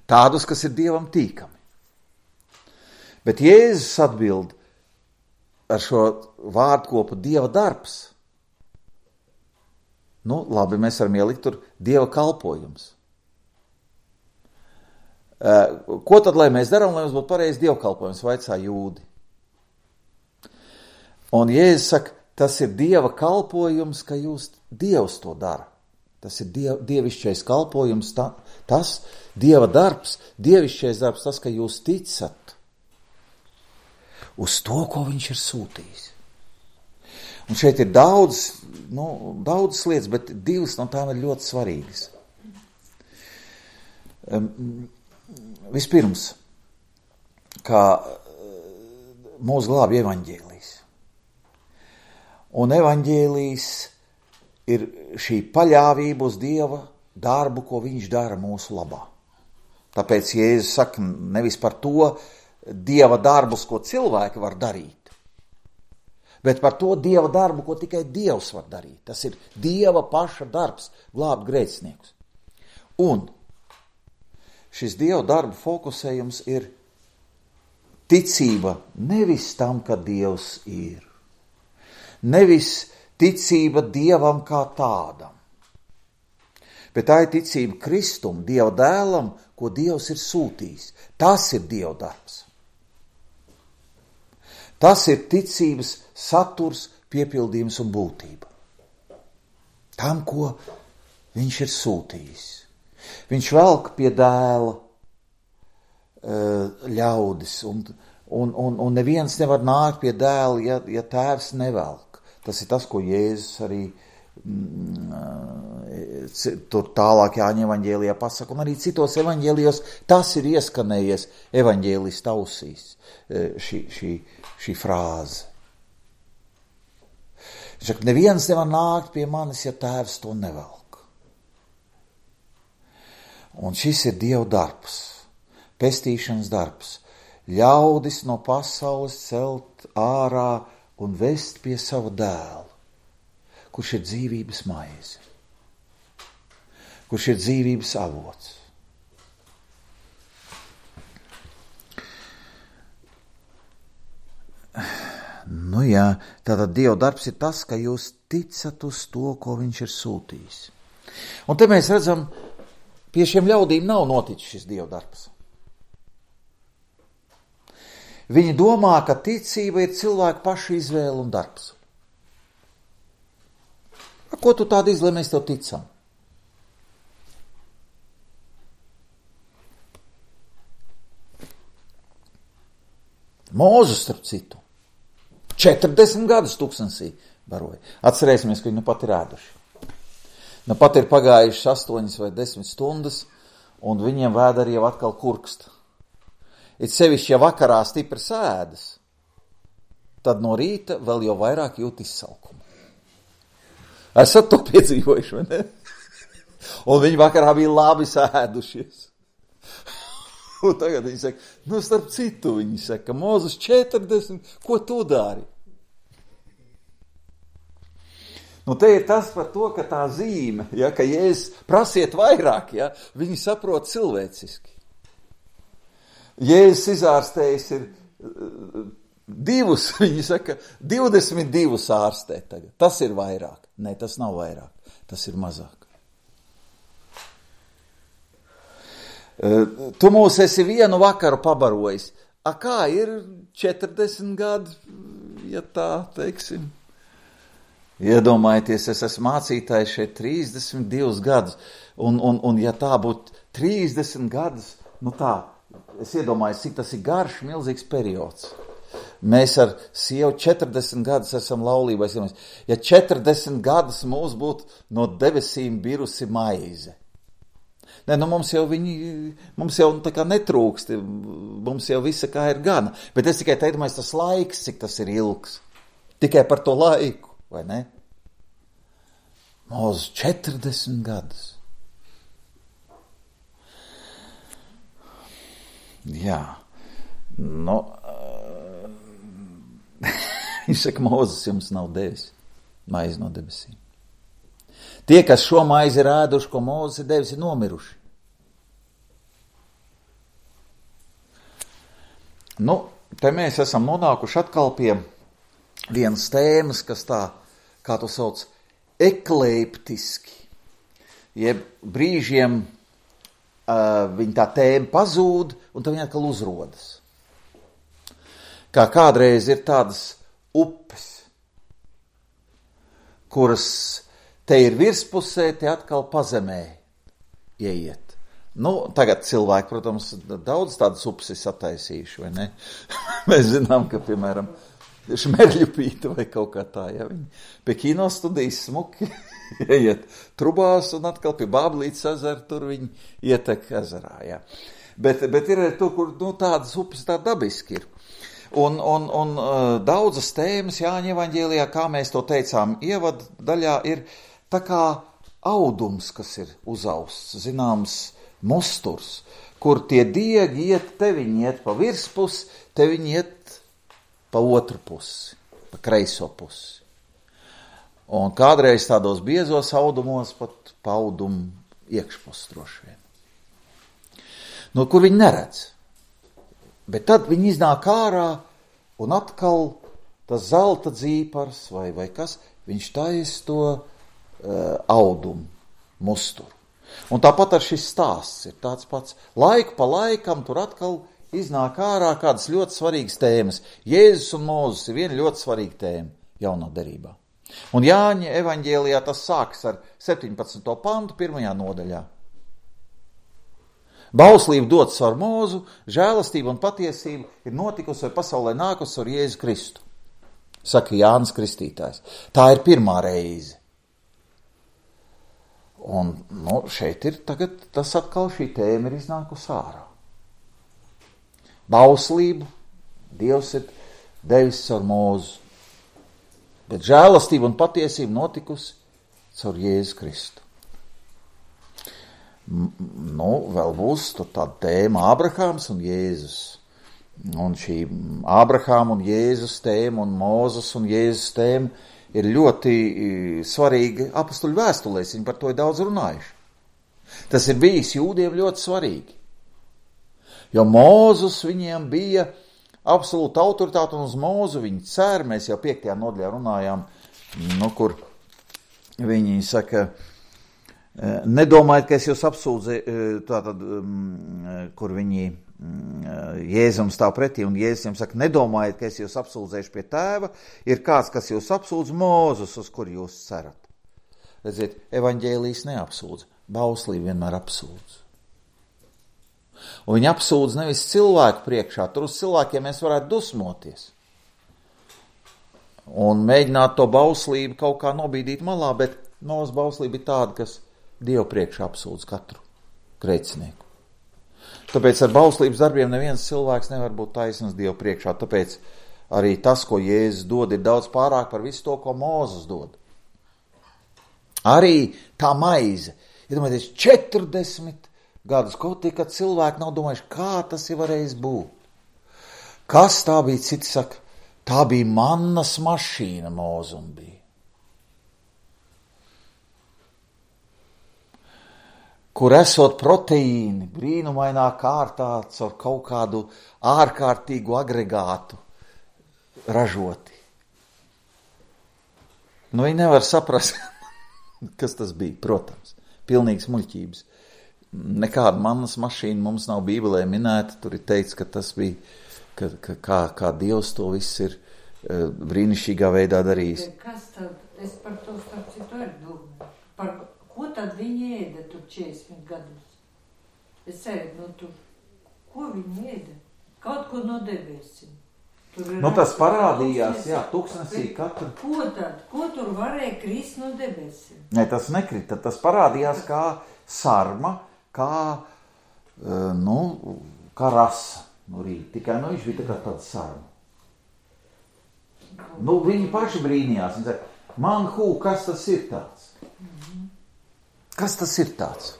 Tādus, kas ir Dievam tīkami. Bet Jēzus atbild ar šo vārdkopu Dieva darbs. Nu, labi, mēs varam ielikt tur Dieva kalpojums. Ko tad, lai mēs darām, lai mums būtu pareizi Dieva kalpojums, vaicā jūdi? Un Jēzus saka, tas ir Dieva kalpojums, ka jūs Dievs to dara. Tas ir diev, dievišķais kalpojums, ta, tas Dieva darbs, dievišķais darbs, tas, ka jūs ticat uz to, ko viņš ir sūtījis. Un šeit ir daudz, nu, daudz lietas, bet divas no tām ir ļoti svarīgas. Um, vispirms, kā mūs glābj evaņģēlijs. Un evaņģēlijs ir šī paļāvība uz Dieva darbu, ko viņš dara mūsu labā. Tāpēc Jēzus saka nevis par to Dieva darbus, ko cilvēki var darīt, bet par to Dieva darbu, ko tikai Dievs var darīt. Tas ir Dieva paša darbs, glābt grēciniekus. Un šis Dieva darba fokusējums ir ticība nevis tam, ka Dievs ir. Nevis ticība Dievam kā tādam. Bet tā ir ticība Kristum, Dieva dēlam, ko Dievs ir sūtījis. Tas ir Dieva darbs. Tas ir ticības saturs, piepildījums un būtība. Tam, ko viņš ir sūtījis. Viņš velk pie dēla ļaudis, un, un, un, un neviens nevar nākt pie dēla, ja, ja tēvs nevelk. Tas ir tas, ko Jēzus arī mm, tur tālāk Jāņa evaņģēlijā pasaka, un arī citos evaņģēlijos tas ir ieskanējies evaņģēlista ausīs, šī, šī, šī frāze. Viņš saka, neviens nevar nākt pie manis, ja tēvs to nevelk. Un šis ir Dieva darbs, pestīšanas darbs. Ļaudis no pasaules celt ārā un vest pie sava dēla, kurš ir dzīvības maize, kurš ir dzīvības avots. Nu jā, tātad Dieva darbs ir tas, ka jūs ticat uz to, ko viņš ir sūtījis. Un te mēs redzam, pie šiem ļaudīm nav noticis šis Dieva darbs. Viņi domā, ka ticība ir cilvēku pašu izvēle un darbs. Ko tu tādu izlēmi, mēs tev ticam? Mūzes, starp citu, četrdesmit gadus tūkstnesī baroja. Atcerēsimies, ka viņi nu pat ir ēduši. Nu pat ir pagājušas astoņas vai desmit stundas, un viņiem vēderi jau atkal kurkst. It sevišķi, ja vakarā stipri sēdas, tad no rīta vēl jau vairāk jūt izsalkumu. Esat to piedzīvojuši, vai ne? Un viņi vakarā bija labi sēdušies. Un tagad viņi saka, nu starp citu, viņi saka, Mūzes četrdesmit, ko tu dari? Nu te ir tas par to, ka tā zīme, ja, ka Jēzus prasiet vairāk, ja, viņi saprot cilvēciski. Jēzus izārstējis ir divus, viņi saka, divdesmit divus ārstē tagad. Tas ir vairāk. Nē, tas nav vairāk. Tas ir mazāk. Tu mūs esi vienu vakaru pabarojis. A kā ir četrdesmit gadi, ja tā teiksim? Iedomājieties, es esmu mācītājs šeit trīsdesmit divus gadus. Un, un, un ja tā būtu trīsdesmit gadus, nu tā, es iedomājos, cik tas ir garš, milzīgs periods. Mēs ar sievu četrdesmit gadus esam laulībā. Ja četrdesmit gadus mūs būtu no debesīm birusi maize. Nē, nu mums jau viņi, mums jau tā kā netrūkst, mums jau visa kā ir gana. Bet es tikai teicu, tas laiks, cik tas ir ilgs. Tikai par to laiku, vai ne? Mūs četrdesmit gadus. Jā, nu, Viņš saka, Mūzes jums nav devis maizi no debesīm. Tie, kas šo maizi ir ēduši, ko Mūzes ir devis, ir nomiruši. Nu, te mēs esam nonākuši atkal pie vienas tēmas, kas tā, kā to sauc, ekleiptiski. Jeb brīžiem uh, viņa tā tēma pazūd, un tad viņa atkal uzrodas. Kā kādreiz ir tādas upes, kuras te ir virspusē, te atkal pazemē ieiet. Nu, tagad cilvēki, protams, daudz tādas upes ir sataisījuši, vai ne? Mēs zinām, ka, piemēram, Šmerļupīta vai kaut kā tā, ja viņi pie kino studijas smuki ieiet trubās un atkal pie Bāblītes ezera, tur viņi ietek ezerā, ja. Bet, bet ir arī tur, kur, nu, tādas upes tā dabiski ir. Un, un, un uh, daudzas tēmas Jāņa evaņģēlijā, kā mēs to teicām, ievada daļā ir tā kā audums, kas ir uzausts, zināms, musturs, kur tie diegi iet, te viņi iet pa virspus, te viņi iet pa otru pusi, pa kreiso pusi. Un kādreiz tādos biezos audumos pat pa audumu iekšpus droši vien. No kur viņi neredz. Bet tad viņi iznāk ārā un atkal tas zelta dzīpars vai, vai kas, viņš tais to uh, audumu, musturu. Un tāpat ar šis stāsts ir tāds pats. Laiku pa laikam tur atkal iznāk ārā kādas ļoti svarīgas tēmas. Jēzus un Mūzes ir viena ļoti svarīga tēma jaunā derībā. Un Jāņa evaņģēlijā tas sāks ar septiņpadsmito pantu pirmajā nodaļā. Bauslība dots ar Mūzu, žēlastība un patiesība ir notikusi vai pasaulē nākusi ar Jēzu Kristu, saka Jānis Kristītājs. Tā ir pirmā reize. Un nu, šeit ir tagad tas atkal šī tēma ir iznākusi ārā. Bauslību Dievs ir devis ar Mūzu, bet žēlastība un patiesība notikusi caur Jēzu Kristu. Nu, vēl būs tāda tēma Ābrahāms un Jēzus. Un šī Ābrahāma un Jēzus tēma un Mūzes un Jēzus tēma ir ļoti svarīgi apostuļu vēstulēs, viņi par to ir daudz runājuši. Tas ir bijis jūdiem ļoti svarīgi, jo Mūzus viņiem bija absolūta autoritāte un uz Mūzu viņi cer, mēs jau piektajā nodaļā runājām, nu, kur viņi saka, nedomājiet, ka es jūs apsūdzu, tātad, kur viņi Jēzum stāv pretī, un Jēzus viņam saka, nedomājiet, ka es jūs apsūdzēšu pie tēva, ir kāds, kas jūs apsūdz, Mūzus, uz kur jūs cerat. Redziet, evaņģēlijs neapsūdz, bauslība vienmēr apsūdz. Un viņi apsūdz nevis cilvēku priekšā, tur uz cilvēkiem mēs varētu dusmoties. Un mēģināt to bauslību kaut kā nobīdīt malā, bet Mūzes bauslība ir tāda, kas Dievu priekšā apsūdz katru grēcinieku. Tāpēc ar bauslības darbiem neviens cilvēks nevar būt taisnīgs Dievu priekšā. Tāpēc arī tas, ko Jēzus dod, ir daudz pārāk par visu to, ko Mūzes dod. Arī tā maize. Iedomājieties, četrdesmit gadus, kaut tikai cilvēki nav domājuši, kā tas ir varējis būt. Kas tā bija, citi saka, tā bija mannas mašīna Mūzum bija. Kur esot proteīni brīnumainā kārtā caur kaut kādu ārkārtīgu agregātu ražoti. Nu, viņi nevar saprast, kas tas bija, protams, pilnīgs muļķības. Nekāda mannas mašīna mums nav Bībelē minēta, tur ir teikts, ka tas bija, ka, ka, kā, kā Dievs to viss ir uh, brīnišķīgā veidā darījis. Kas tad, es par to starp citu arī domāju, par ko tad viņi ēda tur četrdesmit gadus? Es ceru, nu tur, ko viņi ēda? Kaut ko no debesīm. Nu tas parādījās, jā, tuksnesī katru. Ko tad? Ko tur varēja krist no debesīm? Ne, tas nekrita, tas parādījās kā sarma, kā, nu, kā rasa no rīta. Tikai, nu, viņš bija tā kā tāds sarma. Nu, viņi paši brīnījās, viņi saka, man hū, kas tas ir tāds? Kas tas ir tāds?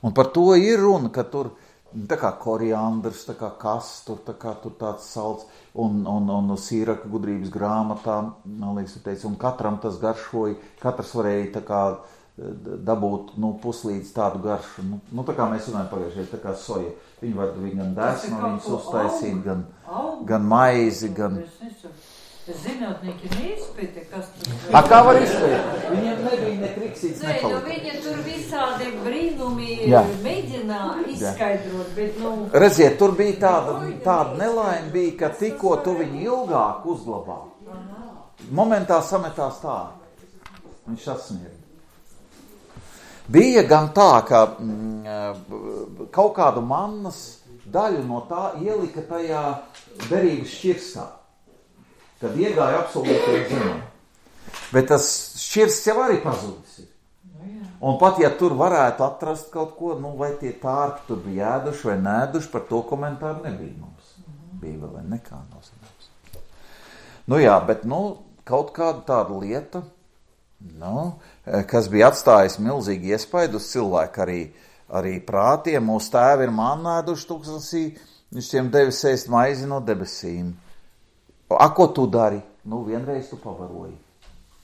Un par to ir runa, ka tur Tā kā koriandrs, tā kā kastur, tā kā tur tāds salds, un, un, un Sīraka gudrības grāmatā, man liekas, tu teici, un katram tas garšoja, katrs varēja tā kā dabūt, nu, puslīdz tādu garšu. Nu, nu tā kā mēs runājam pagājušajā, tā kā soja. Viņi var viņi gan desmu, viņus uztaisīt, gan, gan maizi, gan... Zinātnieki neizpēta, kas tur... A, kā var izpēt? Viņiem nebija ne kriksīts, ne Nē, nu palika. viņi tur visādi brīnumi Jā. mēģinā izskaidrot, bet, nu... Redziet, tur bija tāda, tāda nelaime, bija, ka tikko tu viņu ilgāk uzglabā. Momentā sametās tā. Viņš sasniedz. Bija gan tā, ka mm, kaut kādu mannas daļu no tā ielika tajā derības šķirstā. Kad iegāja absolūti zinām. Bet tas šķirsts jau arī pazudis ir. Un pat, ja tur varētu atrast kaut ko, nu, vai tie tārpi tur bija ēduši vai nēduši, par to komentāru nebija mums. Bija vai nekā nav zināms. Nu jā, bet, nu, kaut kāda tāda lieta, nu, kas bija atstājis milzīgi iespaidu uz cilvēku arī, arī prātiem. Mūsu tēvi ir mannēduši tūkstnesī, viņš tiem devis ēst maizi no debesīm. A, ko tu dari? Nu, vienreiz tu pavaroji.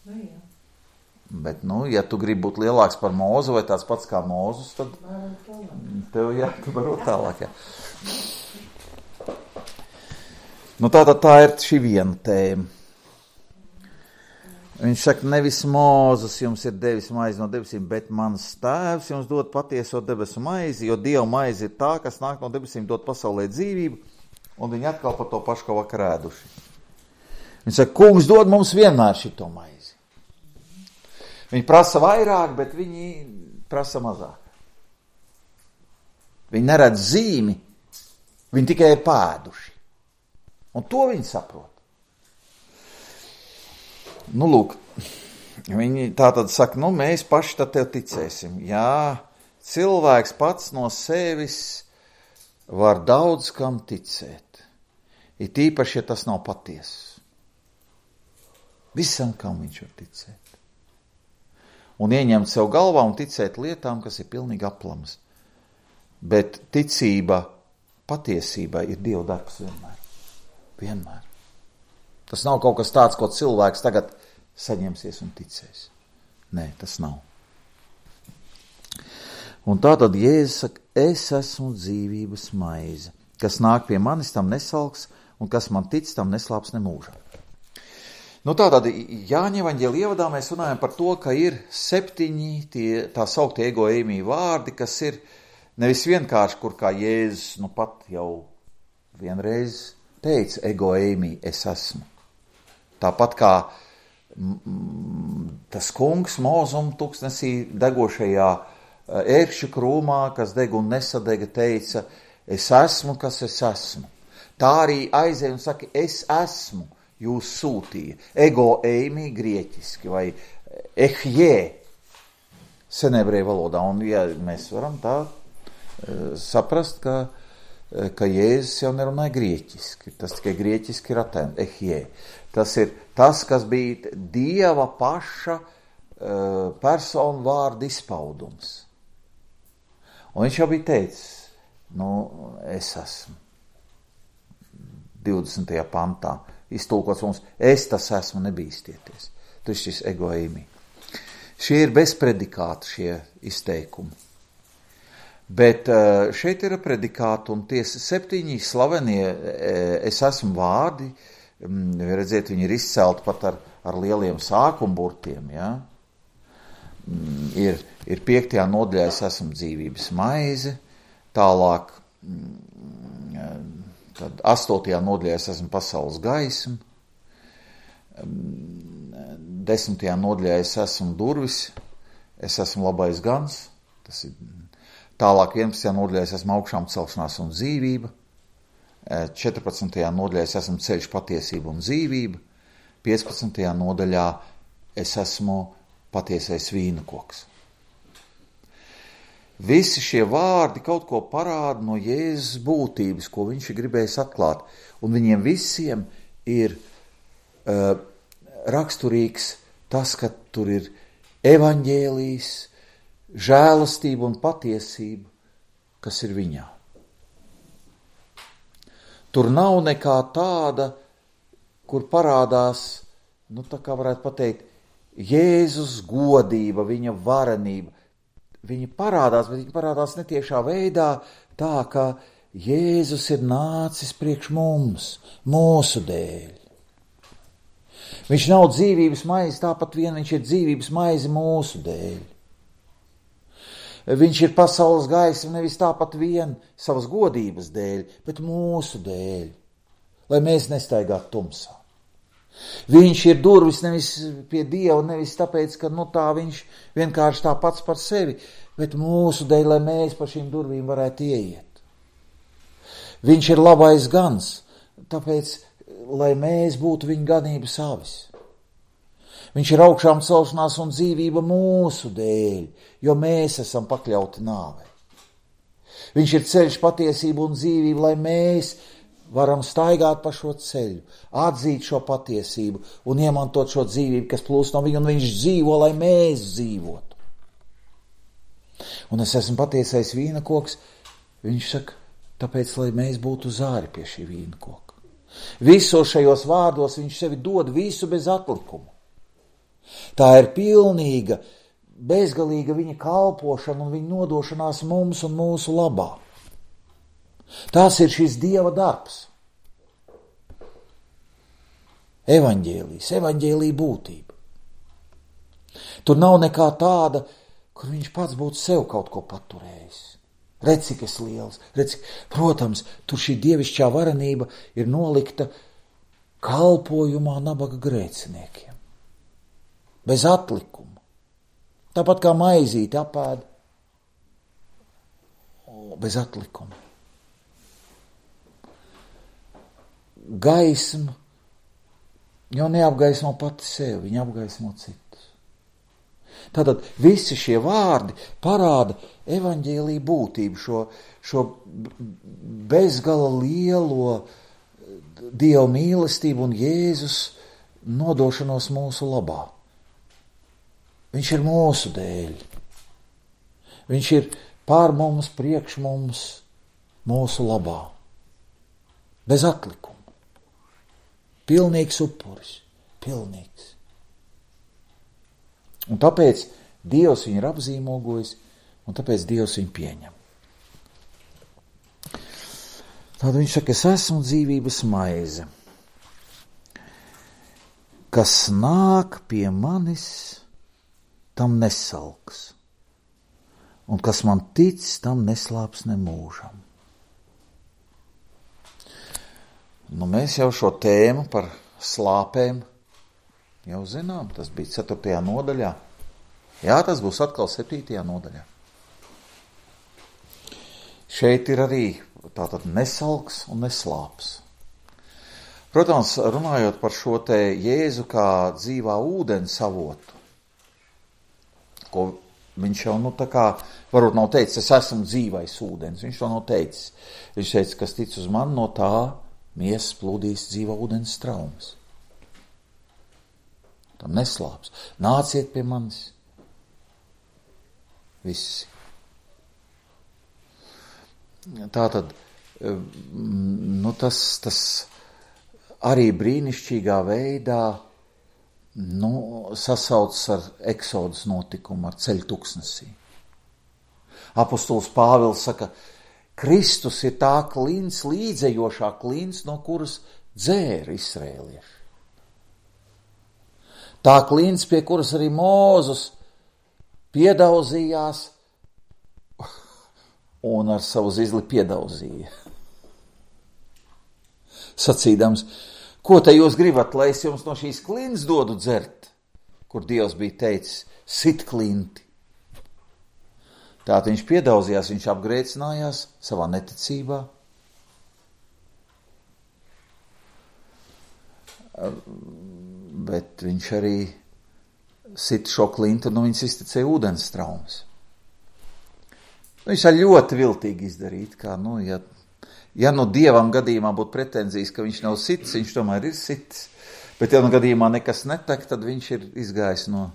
Nu, jā. Bet, nu, ja tu gribi būt lielāks par Mozu vai tāds pats kā Mozus, tad tev, jā, tu varo tālāk, jā. Nu, tātad tā ir šī viena tēma. Viņš saka, nevis Mozus jums ir devis maizi no debesīm, bet mans tēvs jums dod patieso debesu maizi, jo Dieva maizi ir tā, kas nāk no debesīm dot pasaulē dzīvību, un viņi atkal par to pašu kā vakar ēduši. Viņš saka, kungs dod mums vienmēr šito maizi. Viņi prasa vairāk, bet viņi prasa mazāk. Viņi neredz zīmi, viņi tikai ir pēduši. Un to viņi saprot. Nu, lūk, viņi tā tad saka, nu, mēs paši tad tev ticēsim. Jā, cilvēks pats no sevis var daudz kam ticēt. Ir tīpaši, ja tas nav patiess. Visam, kam viņš var ticēt. Un ieņemt sev galvā un ticēt lietām, kas ir pilnīgi aplamas. Bet ticība patiesībai ir Dieva darbs vienmēr. Vienmēr. Tas nav kaut kas tāds, ko cilvēks tagad saņemsies un ticēs. Nē, tas nav. Un tā tad Jēzus saka, es esmu dzīvības maize, kas nāk pie manis, tam nesalks, un kas man tic, tam neslāps nemūžā. Nu tātad Jāņa evaņģēlija ievadā mēs runājam par to, ka ir septiņi tie tā sauktie ego eimi vārdi, kas ir nevis vienkārši, kur kā Jēzus nu pat jau vienreiz teica ego eimi, es esmu. Tāpat kā mm, tas kungs Mozum tūkstnesī degošajā ērkšķu krūmā, kas deg un nesadega, teica, es esmu, kas es esmu. Tā arī aizēja un saka, es esmu. Jūs sūtīja. Ego eimi grieķiski vai ehjē senebreju valodā. Un ja mēs varam tā uh, saprast, ka, uh, ka Jēzus jau nerunāja grieķiski. Tas tikai grieķiski ir attēm. Ehjē. Tas ir tas, kas bija Dieva paša uh, personu vārdu izpaudums. Un viņš jau bija teicis, nu, es esmu. divdesmitajā pantā. Iztulkots mums, es tas esmu, nebīstieties. Tas ir šis ego eimi. Šie ir bez predikāta šie izteikumi. Bet šeit ir predikāti un tie septiņi slavenie es esmu vārdi, redziet, viņi ir izcelti pat ar, ar lieliem sākumburtiem, ja? Ir, ir piektajā nodaļā es esmu dzīvības maize, tālāk tad astotajā nodaļā es esmu pasaules gaisma, desmitajā nodaļā es esmu durvis, es esmu labais gans, tas ir tālāk vienpadsmitajā nodaļā es esmu augšām celšanās un dzīvība, četrpadsmitajā nodaļā es esmu ceļš, patiesība un dzīvība, piecpadsmitajā nodaļā es esmu patiesais vīna koks. Visi šie vārdi kaut ko parāda no Jēzus būtības, ko viņš ir gribējis atklāt. Un viņiem visiem ir uh, raksturīgs tas, ka tur ir evaņģēlijs, žēlastība un patiesība, kas ir viņā. Tur nav nekā tāda, kur parādās, nu tā kā varētu pateikt, Jēzus godība, viņa varenība. Viņa parādās, bet viņa parādās netiešā veidā, tā kā Jēzus ir nācis priekš mums, mūsu dēļ. Viņš nav dzīvības maize, tāpat vien viņš ir dzīvības maize mūsu dēļ. Viņš ir pasaules gaisma nevis tāpat vien savas godības dēļ, bet mūsu dēļ, lai mēs nestaigātu tumsā. Viņš ir durvis nevis pie Dieva, nevis tāpēc, ka nu tā viņš vienkārši tā pats par sevi, bet mūsu dēļ, lai mēs pa šīm durvīm varētu ieiet. Viņš ir labais gans, tāpēc, lai mēs būtu viņa ganības avis. Viņš ir augšām celšanās un dzīvība mūsu dēļ, jo mēs esam pakļauti nāvei. Viņš ir ceļš, patiesība un dzīvība, lai mēs varam staigāt pa šo ceļu, atzīt šo patiesību un iemantot šo dzīvību, kas plūst no viņa, un viņš dzīvo, lai mēs dzīvotu. Un es esmu patiesais vīna koks, viņš saka, tāpēc, lai mēs būtu zāri pie šī vīna koka. Visos šajos vārdos viņš sevi dod visu bez atlikuma. Tā ir pilnīga, bezgalīga viņa kalpošana un viņa nodošanās mums un mūsu labā. Tās ir šis Dieva darbs. Evaņģēlijs, evaņģēlija būtība. Tur nav nekā tāda, kur viņš pats būtu sev kaut ko paturējis. Redz, cik es liels, redz, protams, tur šī dievišķā varenība ir nolikta kalpojumā nabaga grēciniekiem. Bez atlikuma. Tāpat kā maizīti apēd. Bez atlikuma. Gaisma jau neapgaismo pati sevi, viņa apgaismo citus. Tātad visi šie vārdi parāda evaņģēlija būtību, šo, šo bezgala lielo Dieva mīlestību un Jēzus nodošanos mūsu labā. Viņš ir mūsu dēļ. Viņš ir pār mums, priekš mums, mūsu labā. Bez atlikuma. Pilnīgs upuris. Pilnīgs. Un tāpēc Dievs viņu ir apzīmogojis, un tāpēc Dievs viņu pieņem. Tad viņš saka, es esmu dzīvības maize, kas nāk pie manis, tam nesalks, un kas man tic, tam neslāps nemūžam. Nu, mēs jau šo tēmu par slāpēm jau zinām, tas bija ceturtajā nodaļā. Jā, tas būs atkal septītajā nodaļā. Šeit ir arī tātad nesalks un neslāps. Protams, runājot par šo te Jēzu kā dzīvā ūdens avotu, ko viņš jau, nu, tā kā, varbūt nav teicis, es esmu dzīvais ūdens, viņš to nav teicis. Viņš teica, kas tic uz mani, no tā miesas plūdīs dzīvā ūdens straumes. Tam neslāps. Nāciet pie manis. Visi. Tātad, nu, tas, tas arī brīnišķīgā veidā nu, sasaucas ar eksodas notikumu, ar ceļu tuksnesī. Apostols Pāvils saka, Kristus ir tā klints, līdzējošā klints, no kuras dzēra izrēlieši. Tā klints, pie kuras arī Mūzus piedauzījās un ar savu zizli piedauzīja. Sacīdams, ko te jūs gribat, lai es jums no šīs klints dodu dzert, kur Dievs bija teicis, sit klinti. Tātad viņš piedauzījās, viņš apgrēcinājās savā neticībā. Bet viņš arī sit šo klintu, nu viņš iztecēja ūdens traumas. Viņš tā ļoti viltīgi izdarīt, kā, nu, ja, ja nu Dievam gadījumā būtu pretenzijas, ka viņš nav sits, viņš tomēr ir sits, bet ja nu gadījumā nekas netek, tad viņš ir izgājis no,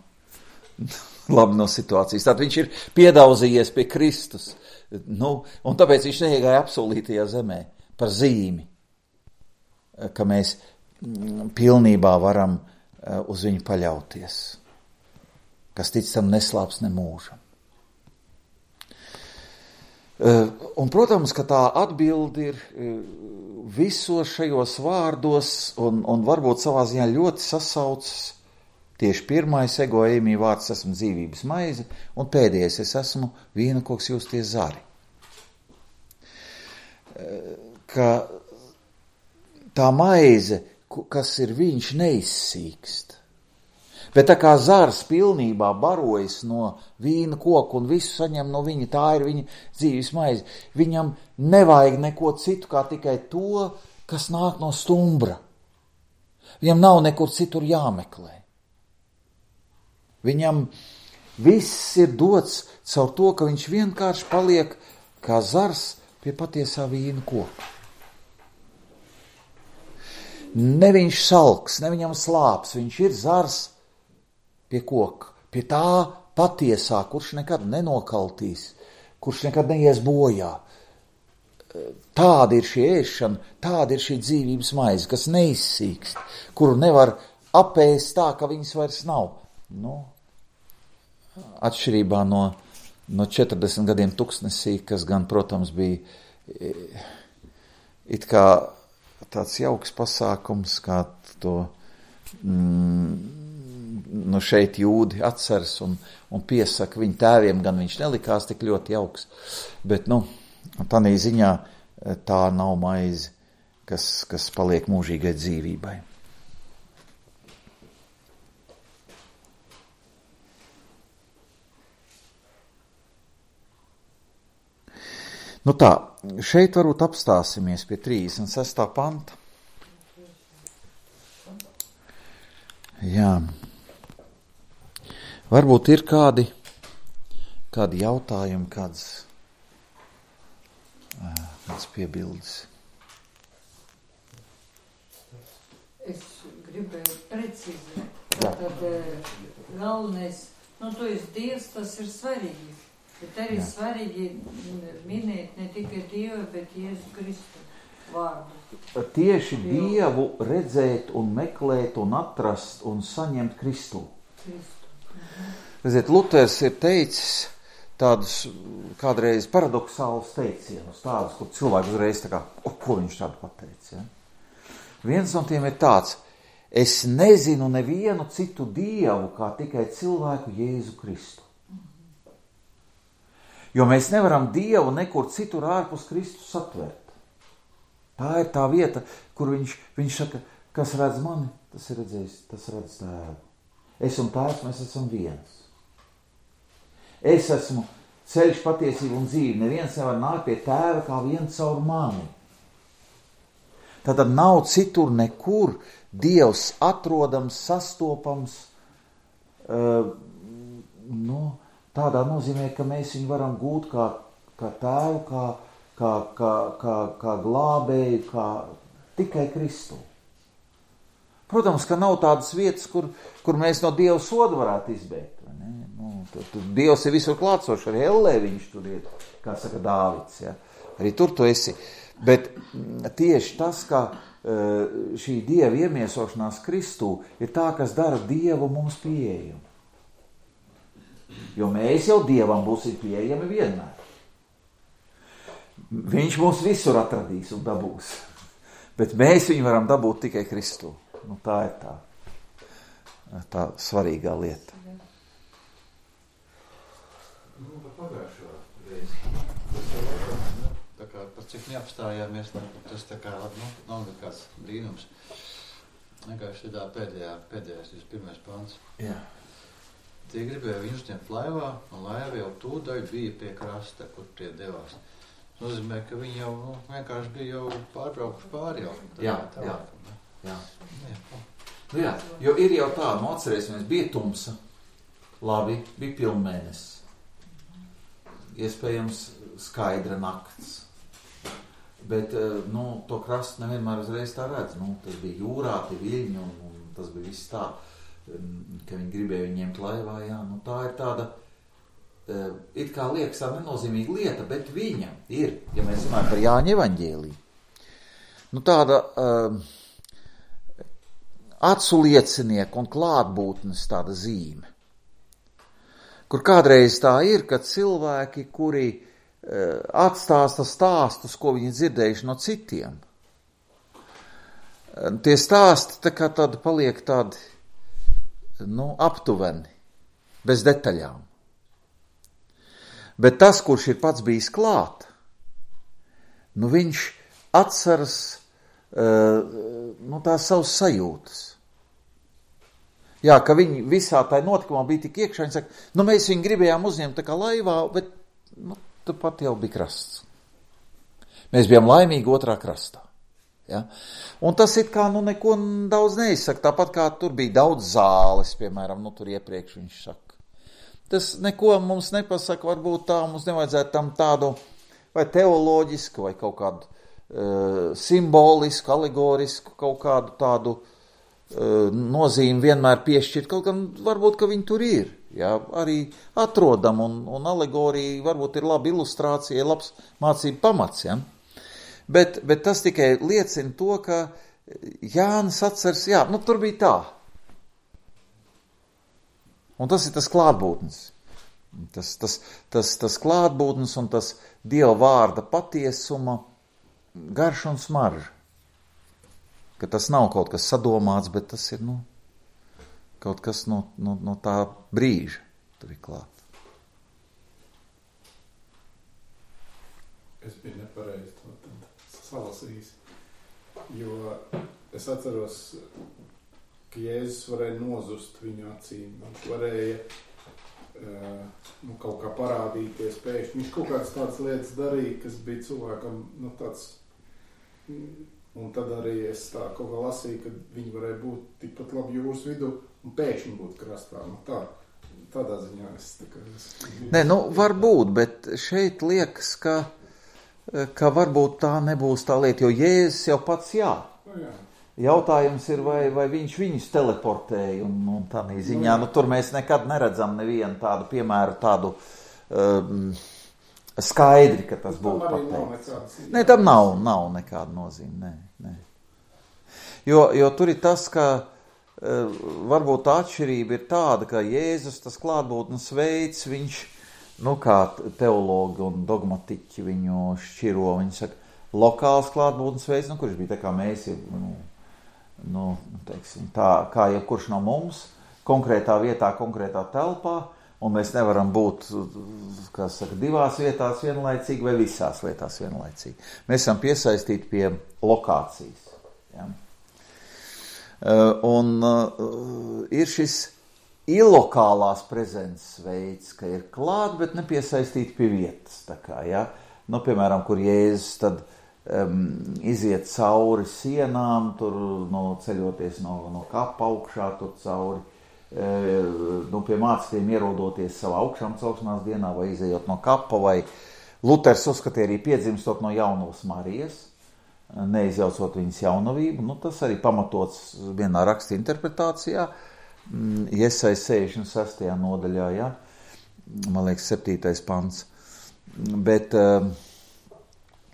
labi no situācijas. Tad viņš ir piedauzījies pie Kristus, nu, un tāpēc viņš neiegāja apsolītajā zemē par zīmi, ka mēs pilnībā varam uz viņu paļauties, kas tic tam neslāps ne mūžam. Un, protams, ka tā atbilde ir visos šajos vārdos un, un varbūt savā ziņā ļoti sasaucas. Tieši pirmais ego eimī vārds esmu dzīvības maize, un pēdējais es esmu vīnokoks jūs tie zari. Ka tā maize, kas ir viņš, neizsīkst. Bet tā kā zars pilnībā barojas no vīna koka un visu saņem no viņa, tā ir viņa dzīves maize. Viņam nevajag neko citu, kā tikai to, kas nāk no stumbra. Viņam nav nekur citur jāmeklē. Viņam viss ir dots caur to, ka viņš vienkārši paliek kā zars pie patiesā vīna koka. Ne viņš salks, ne viņam slāps, viņš ir zars pie koka, pie tā patiesā, kurš nekad nenokaltīs, kurš nekad neies bojā. Tāda ir šī ēšana, tāda ir šī dzīvības maize, kas neizsīkst, kuru nevar apēst tā, ka viņas vairs nav. Nu, atšķirībā no, no četrdesmit gadiem tuksnesī, kas gan, protams, bija it kā tāds jauks pasākums, kā to mm, nu šeit jūdi atceras un, un piesaka viņu tēviem, gan viņš nelikās tik ļoti jauks, bet, nu, tādā ziņā tā nav maize, kas, kas paliek mūžīgai dzīvībai. Nu tā, šeit varbūt apstāsimies pie trīsdesmit sestā panta. Jā. Varbūt ir kādi, kādi jautājumi, kāds, kāds piebildes. Es gribēju precizēt. Tātad galvenais, nu, to ir Dievs, tas ir svarīgi. Bet arī Jā. Svarīgi minēt ne tikai Dievu, bet Jēzu Kristu vārdu. Tieši Dievu redzēt un meklēt un atrast un saņemt Kristu. Kristu. Redziet, Luters ir teicis tādus kādreiz paradoxālus teicienus, tādus, kur cilvēks uzreiz tā kā, o, ko viņš tādu pateica, ja? Viens no tiem ir tāds, es nezinu nevienu citu Dievu, kā tikai cilvēku Jēzu Kristu. Jo mēs nevaram Dievu nekur citur ārpus Kristus satvert. Tā ir tā vieta, kur viņš, viņš saka, kas redz mani, tas ir redzējis, tas redz tēvu. Es un tēvs, mēs esam viens. Es esmu ceļš, patiesība un dzīve. Neviens nevar nākt pie tēva kā viens caur mani. Tātad nav citur nekur Dievs atrodams, sastopams, uh, nu, tādā nozīmē, ka mēs viņu varam gūt kā, kā tēvu, kā, kā, kā, kā, kā glābēju, kā tikai Kristu. Protams, ka nav tādas vietas, kur, kur mēs no Dieva soda varētu izbēgt. Vai ne? Nu, tur, tur Dievs ir visur klātsošs, arī ellē viņš tur ir, kā saka Dāvids. Ja? Arī tur tu esi. Bet tieši tas, ka šī Dieva iemiesošanās Kristū ir tā, kas dara Dievu mums pieejamu. Jo mēs jau Dievam būsim pieejami vienmēr. Viņš mūs visur atradīs un dabūs. Bet mēs viņu varam dabūt tikai Kristū. Nu, tā ir tā, tā svarīgā lieta. Nu, par pagājušo reizi. Tā kā par cik neapstājāmies, tas tā kā nu, nav nekāds brīnums. Vienkārši tā pēdējā, pēdējais, pirmais pants. Jā. Tie gribēja viņu uzņemt laivā, un laiva jau tūdaļ bija pie krasta, kur tie devās. Nozīmē, ka viņi jau nu, vienkārši bija jau pārbraukuši pāri jau. Jā, tā, jā, jā. jā. Nu jā, jo ir jau tā, nu atcerēsimies, bija tumsa, labi, bija pilnmēnesis. Iespējams skaidra nakts. Bet, nu, to krastu nevienmēr uzreiz tā redz. Nu, tas bija jūrā, tie viļņi, un, un tas bija viss tā. Ka viņi gribēja viņu ņemt laivā, jā, nu tā ir tāda, uh, it kā liekas tā nenozīmīga lieta, bet viņa ir, ja mēs runājam par Jāņa evaņģēliju, nu tāda uh, acu liecinieku un klātbūtnes tāda zīme. Kur kādreiz tā ir, ka cilvēki, kuri e, atstāsta stāstus, ko viņi dzirdējuši no citiem, tie stāsti tā kā tādi paliek tādi, nu, aptuveni, bez detaļām. Bet tas, kurš ir pats bijis klāt, nu, viņš atceras uh, nu, tās savas sajūtas. Jā, ka viņi visā tā notikumā bija tik iekšā, viņi saka, nu, mēs viņu gribējām uzņemt tā kā laivā, bet, nu, tu pat jau bija krasts. Mēs bijām laimīgi otrā krastā. Ja? Un tas it kā, nu, neko daudz neizsaka, tāpat kā tur bija daudz zāles, piemēram, nu, tur iepriekš viņš saka. Tas neko mums nepasaka, varbūt tā mums nevajadzētu tam tādu vai teoloģisku, vai kaut kādu uh, simbolisku, alegorisku, kaut kādu tādu uh, nozīmi vienmēr piešķirt, kaut gan varbūt, ka viņi tur ir. Ja? Arī atrodam, un, un alegorija varbūt ir laba ilustrācija, labs mācību pamats. Ja? Bet, bet tas tikai liecina to, ka Jānis atceras, jā, nu tur bija tā. Un tas ir tas klātbūtnes. Tas, tas, tas, tas klātbūtnes un tas Dieva vārda patiesuma garš un smarža. Ka tas nav kaut kas sadomāts, bet tas ir, nu, kaut kas no, no, no tā brīža tur ir klāt. Es biju nepareizi to tad salasījis, jo es atceros, ka Jēzus varēja nozust viņu acīm. Viņš varēja uh, nu, kaut kā parādīties pēkšņi. Viņš kaut kādas tādas lietas darīja, kas bija cilvēkam, nu, tāds... Un tad arī es tā kaut kā lasīju, ka viņi varēja būt tikpat labi jūras vidū un pēkšņi būt krastā. Nu, tā, tādā ziņā es... Tā kā es... Nē, nu, varbūt, bet šeit liekas, ka, ka varbūt tā nebūs tā lieta, jo Jēzus jau pats jā. Nu, jā. Jautājums ir, vai, vai viņš viņus teleportēja, un, un tādā ziņā, nu, tur mēs nekad neredzam nevienu tādu piemēru, tādu um, skaidri, ka tas būtu pateikts. Nē, tam nav, nav nekāda nozīme, nē, nē. Jo, jo tur ir tas, ka uh, varbūt tā atšķirība ir tāda, ka Jēzus tas klātbūtnes veids, viņš, nu, kā teologi un dogmatiķi viņu šķiro, viņi saka, lokāls klātbūtnes veids, nu, kurš bija tā kā mēs ir, nu, nu, teiksim, tā, kā jebkurš no mums, konkrētā vietā, konkrētā telpā, un mēs nevaram būt, kā saka, divās vietās vienlaicīgi vai visās vietās vienlaicīgi. Mēs esam piesaistīti pie lokācijas. Ja? Un uh, ir šis ilokālās prezences veids, ka ir klāt, bet nepiesaistīti pie vietas. Tā kā, ja? Nu, piemēram, kur Jēzus tad Um, iziet cauri sienām, tur no, ceļoties no, no kapa augšā, tur cauri, e, nu, pie mācekļiem ierodoties savā augšām celšanās dienā, vai izejot no kapa, vai Luters uzskatīja arī piedzimstot no jaunavas Marijas, neizjaucot viņas jaunavību. Nu, tas arī pamatots vienā raksta interpretācijā, Jesai sešdesmit sestajā nodaļā, ja? Man liekas, septītais pants. Bet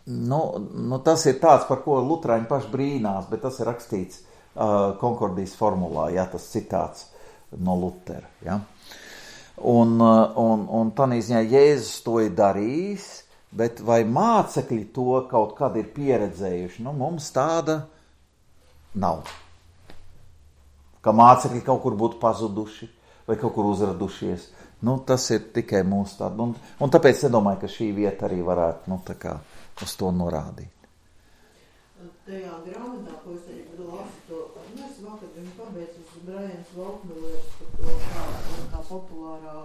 Nu, nu, tas ir tāds, par ko luterāņi paši brīnās, bet tas ir rakstīts uh, Konkordijas formulā, ja, tas citāts no Lutera. Ja. Un, uh, un, un tādā ziņā Jēzus to ir darījis, bet vai mācekļi to kaut kad ir pieredzējuši? Nu, mums tāda nav. Ka mācekļi kaut kur būtu pazuduši vai kaut kur uzradušies. Nu, tas ir tikai mūsu tāda. Un, un tāpēc nedomāju, ka šī vieta arī varētu, nu, tā kā uz to norādīt. Tajā grāmatā, ko es arī lasu to, nu es vakar viņu pabeidzis Brians Volkmillers par to, kā, kā populārā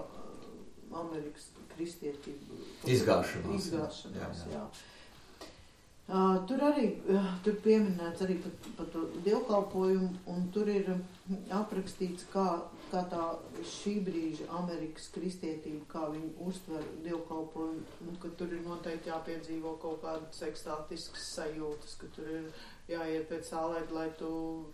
Amerikas kristietība. Izgāšanās. Izgāšanās, jā. jā. Uh, tur arī, uh, tur pieminēts arī par, par to dievkalpojumu, un tur ir aprakstīts, kā, kā tā šī brīža Amerikas kristietība, kā viņi uztver dievkalpojumu, un ka tur ir noteikti jāpiedzīvo kaut kādas ekstātiskas sajūtas, ka tur ir jāiet pēc sālēt, lai tu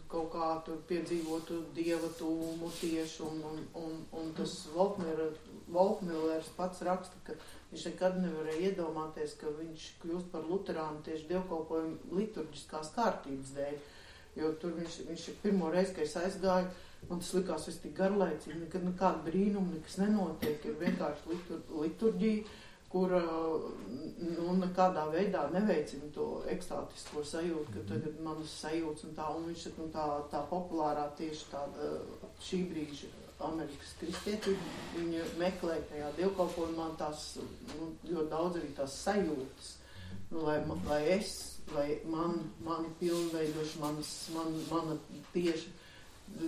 kaut kā tur piedzīvotu dieva tūmu tieši, un, un, un, un tas Volkmillers pats raksta, ka viņš nekad nevarēja iedomāties, ka viņš kļūst par luterānu tieši dievkalpojumu liturģiskās kārtības dēļ, jo tur viņš, viņš pirmo reizi, kad es aizgāju, man tas likās viss tik garlaicīgi, nekad nekāda brīnuma, nekas nenotiek, ir vienkārši litur, liturģija, kur nu, nekādā veidā neveicina to ekstātisko sajūtu, ka tagad manas sajūtas un tā, un viņš ir nu, tā, tā populārā tieši tāda šī brīža Amerikas kristietība, viņa meklē tajā dievkalpojumā tās, nu, ļoti daudz arī tās sajūtas, nu, lai, lai es, lai man, mani pilnveidoši, manas, man, mana tieši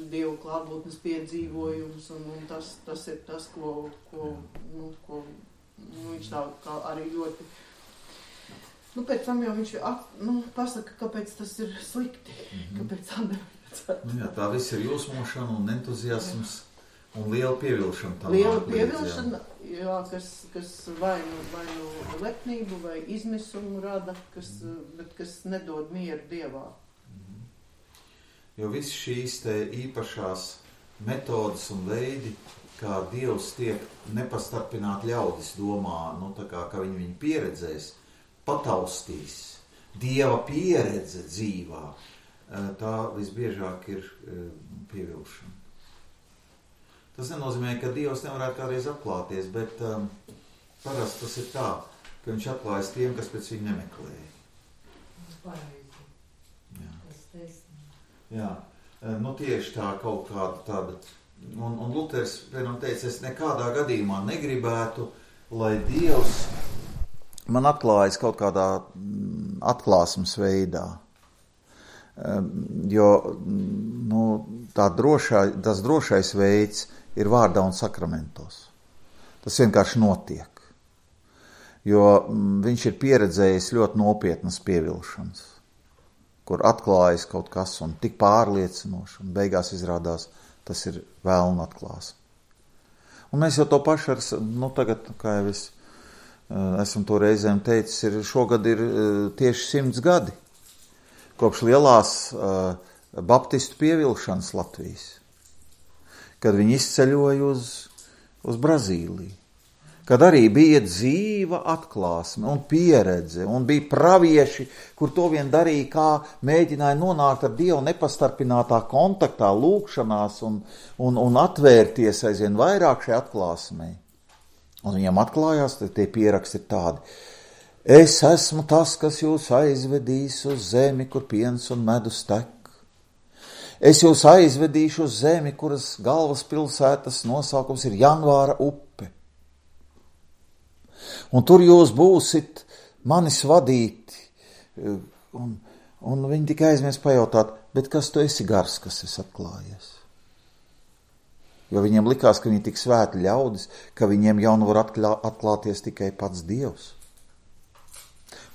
Dievu klātbūtnes piedzīvojums, un, un tas, tas ir tas, ko, ko, nu, ko Nu, viņš tā kā arī ļoti, nu, pēc tam jau viņš at, nu, pasaka, kāpēc tas ir slikti, mm-hmm. kāpēc tā nevajadzētu. Jā, tā viss ir jūsmošana un entuziasms un liela pievilšana. Tā liela pievilšana, jā, jā kas, kas vai nu, vai nu lepnību vai izmisumu rada, kas, mm-hmm. bet kas nedod mieru Dievā. Mm-hmm. Jo viss šīs te īpašās metodas un veidi, kā Dievs tiek nepastarpināt ļaudis domā, nu tā kā, ka viņi viņu pieredzēs, pataustīs, Dieva pieredze dzīvā, tā visbiežāk ir pievilšana. Tas nenozīmē, ka Dievs nevarētu kādreiz atklāties, bet um, parasti tas ir tā, ka viņš atklājas tiem, kas pēc viņu nemeklēja. Pareizi. Jā. Tas taisnība. Jā, nu tieši tā kaut kāda tāda. Un, un Luters, piemēram, teica, es nekādā gadījumā negribētu, lai Dievs man atklājas kaut kādā atklāsmes veidā. Jo nu, tā drošā, tas drošais veids ir vārdā un sakramentos. Tas vienkārši notiek. Jo viņš ir pieredzējis ļoti nopietnas pievilšanas, kur atklājas kaut kas un tik pārliecinoši, un beigās izrādās, tas ir vēlna atklāsme. Un mēs jau to pašu ar, nu tagad, kā jau es esmu to reizēm teicis, ir, šogad ir tieši simts gadi, kopš lielās uh, baptistu pievilšanas Latvijas, kad viņi izceļoja uz, uz Brazīliju, kad arī bija dzīva atklāsme un pieredze, un bija pravieši, kur to vien darīja, kā mēģināja nonākt ar Dievu nepastarpinātā kontaktā, lūkšanās un, un, un atvērties aizvien vairāk šai atklāsmei. Un viņam atklājās, tie pieraksti ir tādi. Es esmu tas, kas jūs aizvedīs uz zemi, kur piens un medus tek. Es jūs aizvedīšu uz zemi, kuras galvaspilsētas nosaukums ir Janvāra upe. Un tur jūs būsit manis vadīti. Un, un viņi tikai aizmies pajautāt, bet kas tu esi gars, kas es atklājies? Jo viņiem likās, ka viņi tik svēti ļaudis, ka viņiem jau nu var atklā, atklāties tikai pats Dievs.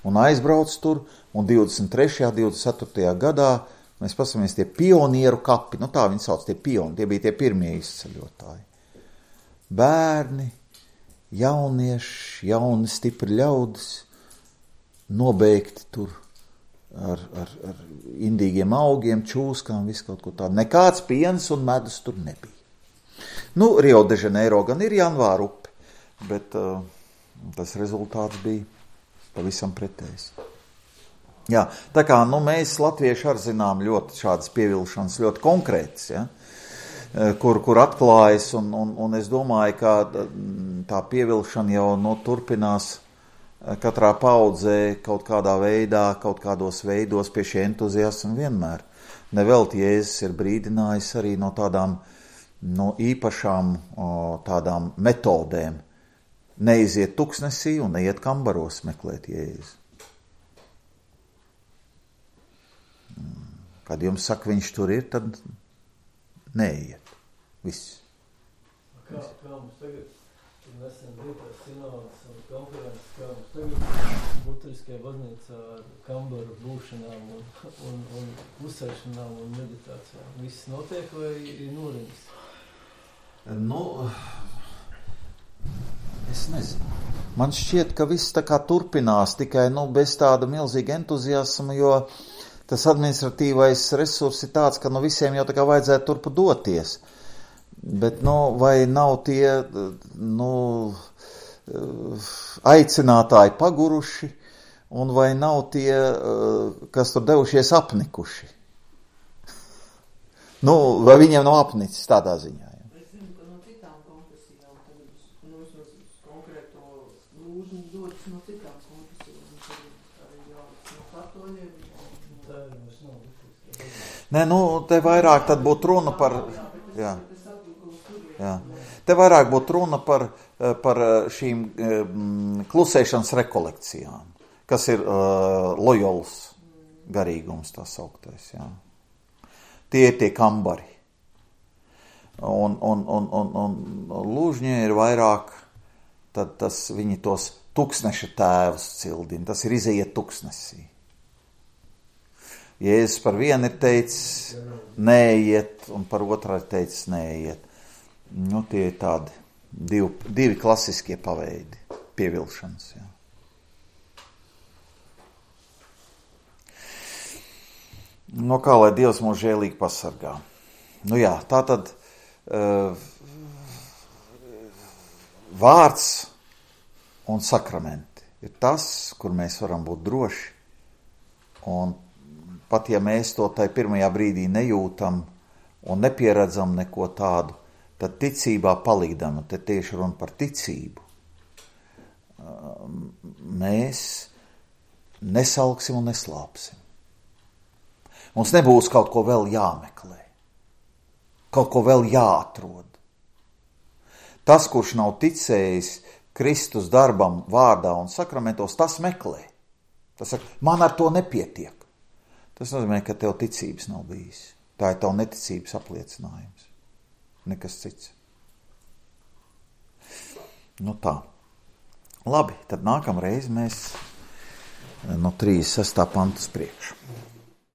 Un aizbrauc tur, un divdesmit trešajā, divdesmit ceturtajā gadā mēs pasamies tie pionieru kapi, nu tā viņi sauc, tie pioni, tie bija tie pirmie izceļotāji. Bērni, jaunieši, jauni, stipri ļaudis, nobeigti tur ar, ar, ar indīgiem augiem, čūskām, visu kaut ko tādu. Nekāds piens un medus tur nebija. Nu, Rio de Janeiro gan ir Janvāra upe, bet uh, tas rezultāts bija pavisam pretējs. Jā, tā kā nu, mēs latvieši arī zinām ļoti šādas pievilšanas, ļoti konkrētas, ja? kur, kur atklājas, un, un, un es domāju, ka tā pievilšana jau nu, turpinās katrā paudzē kaut kādā veidā, kaut kādos veidos pie šī entuziasma vienmēr. Nevelti Jēzus ir brīdinājis arī no tādām no īpašām o, tādām metodēm. Neiziet tuksnesī un neiet kambaros meklēt Jēzu. Kad jums saka, viņš tur ir, tad neiet. Viss. Kā, kā mums tagad, nesen bija tās sinodas un konferences, kā mums tagad Luteriskajā baznīcā ar kambaru būšanām un, un, un klusēšanām un meditācijām. Viss notiek vai ir noriņas? Nu, es nezinu. Man šķiet, ka viss tā kā turpinās, tikai nu, bez tāda milzīga entuziasma, jo tas administratīvais resurs ir tāds, ka nu, visiem jau tā kā vajadzētu turpu doties. Bet, nu, vai nav tie, nu, aicinātāji paguruši, un vai nav tie, kas tur devušies apnikuši? Nu, vai viņiem nav apnicis tādā ziņā? Ja? Es zinu, ka no citām konfesijām, tagad, nu, es uz konkrēto lūžu dodas no citām konfesijām, tad arī jau no katoļiem. Tā ir mums nav. Nē, nu, te vairāk tad būtu runa par... Jā. Jā. Te vairāk būtu runa par, par šīm um, klusēšanas rekolekcijām, kas ir uh, lojols garīgums, tā sauktais, jā. Tie ir tie kambari. Un, un, un, un, un lūžņie ir vairāk, tad tas viņi tos tuksneša tēvus cildina, tas ir iziet tuksnesī. Jēzus par vienu ir teicis, neiet, un par otru ir teicis, neiet. Nu, tie ir tādi divi, divi klasiskie paveidi pievilšanas, jā. Nu, kā lai Dievs mūs žēlīgi pasargā. Nu jā, tā tad uh, vārds un sakramenti ir tas, kur mēs varam būt droši. Un pat ja mēs to tai pirmajā brīdī nejūtam un nepieredzam neko tādu, tad ticībā palīdam, te tieši runa par ticību. Mēs nesalksim un neslāpsim. Mums nebūs kaut ko vēl jāmeklē, kaut ko vēl jāatrod. Tas, kurš nav ticējis Kristus darbam, vārdā un sakramentos, tas meklē. Tas saka, man ar to nepietiek. Tas nozīmē, ka tev ticības nav bijis. Tā ir tavu neticības apliecinājums. Nekas cits. Nu tā. Labi, tad nākamreiz mēs no trīsdesmit sestā pantas priekšu.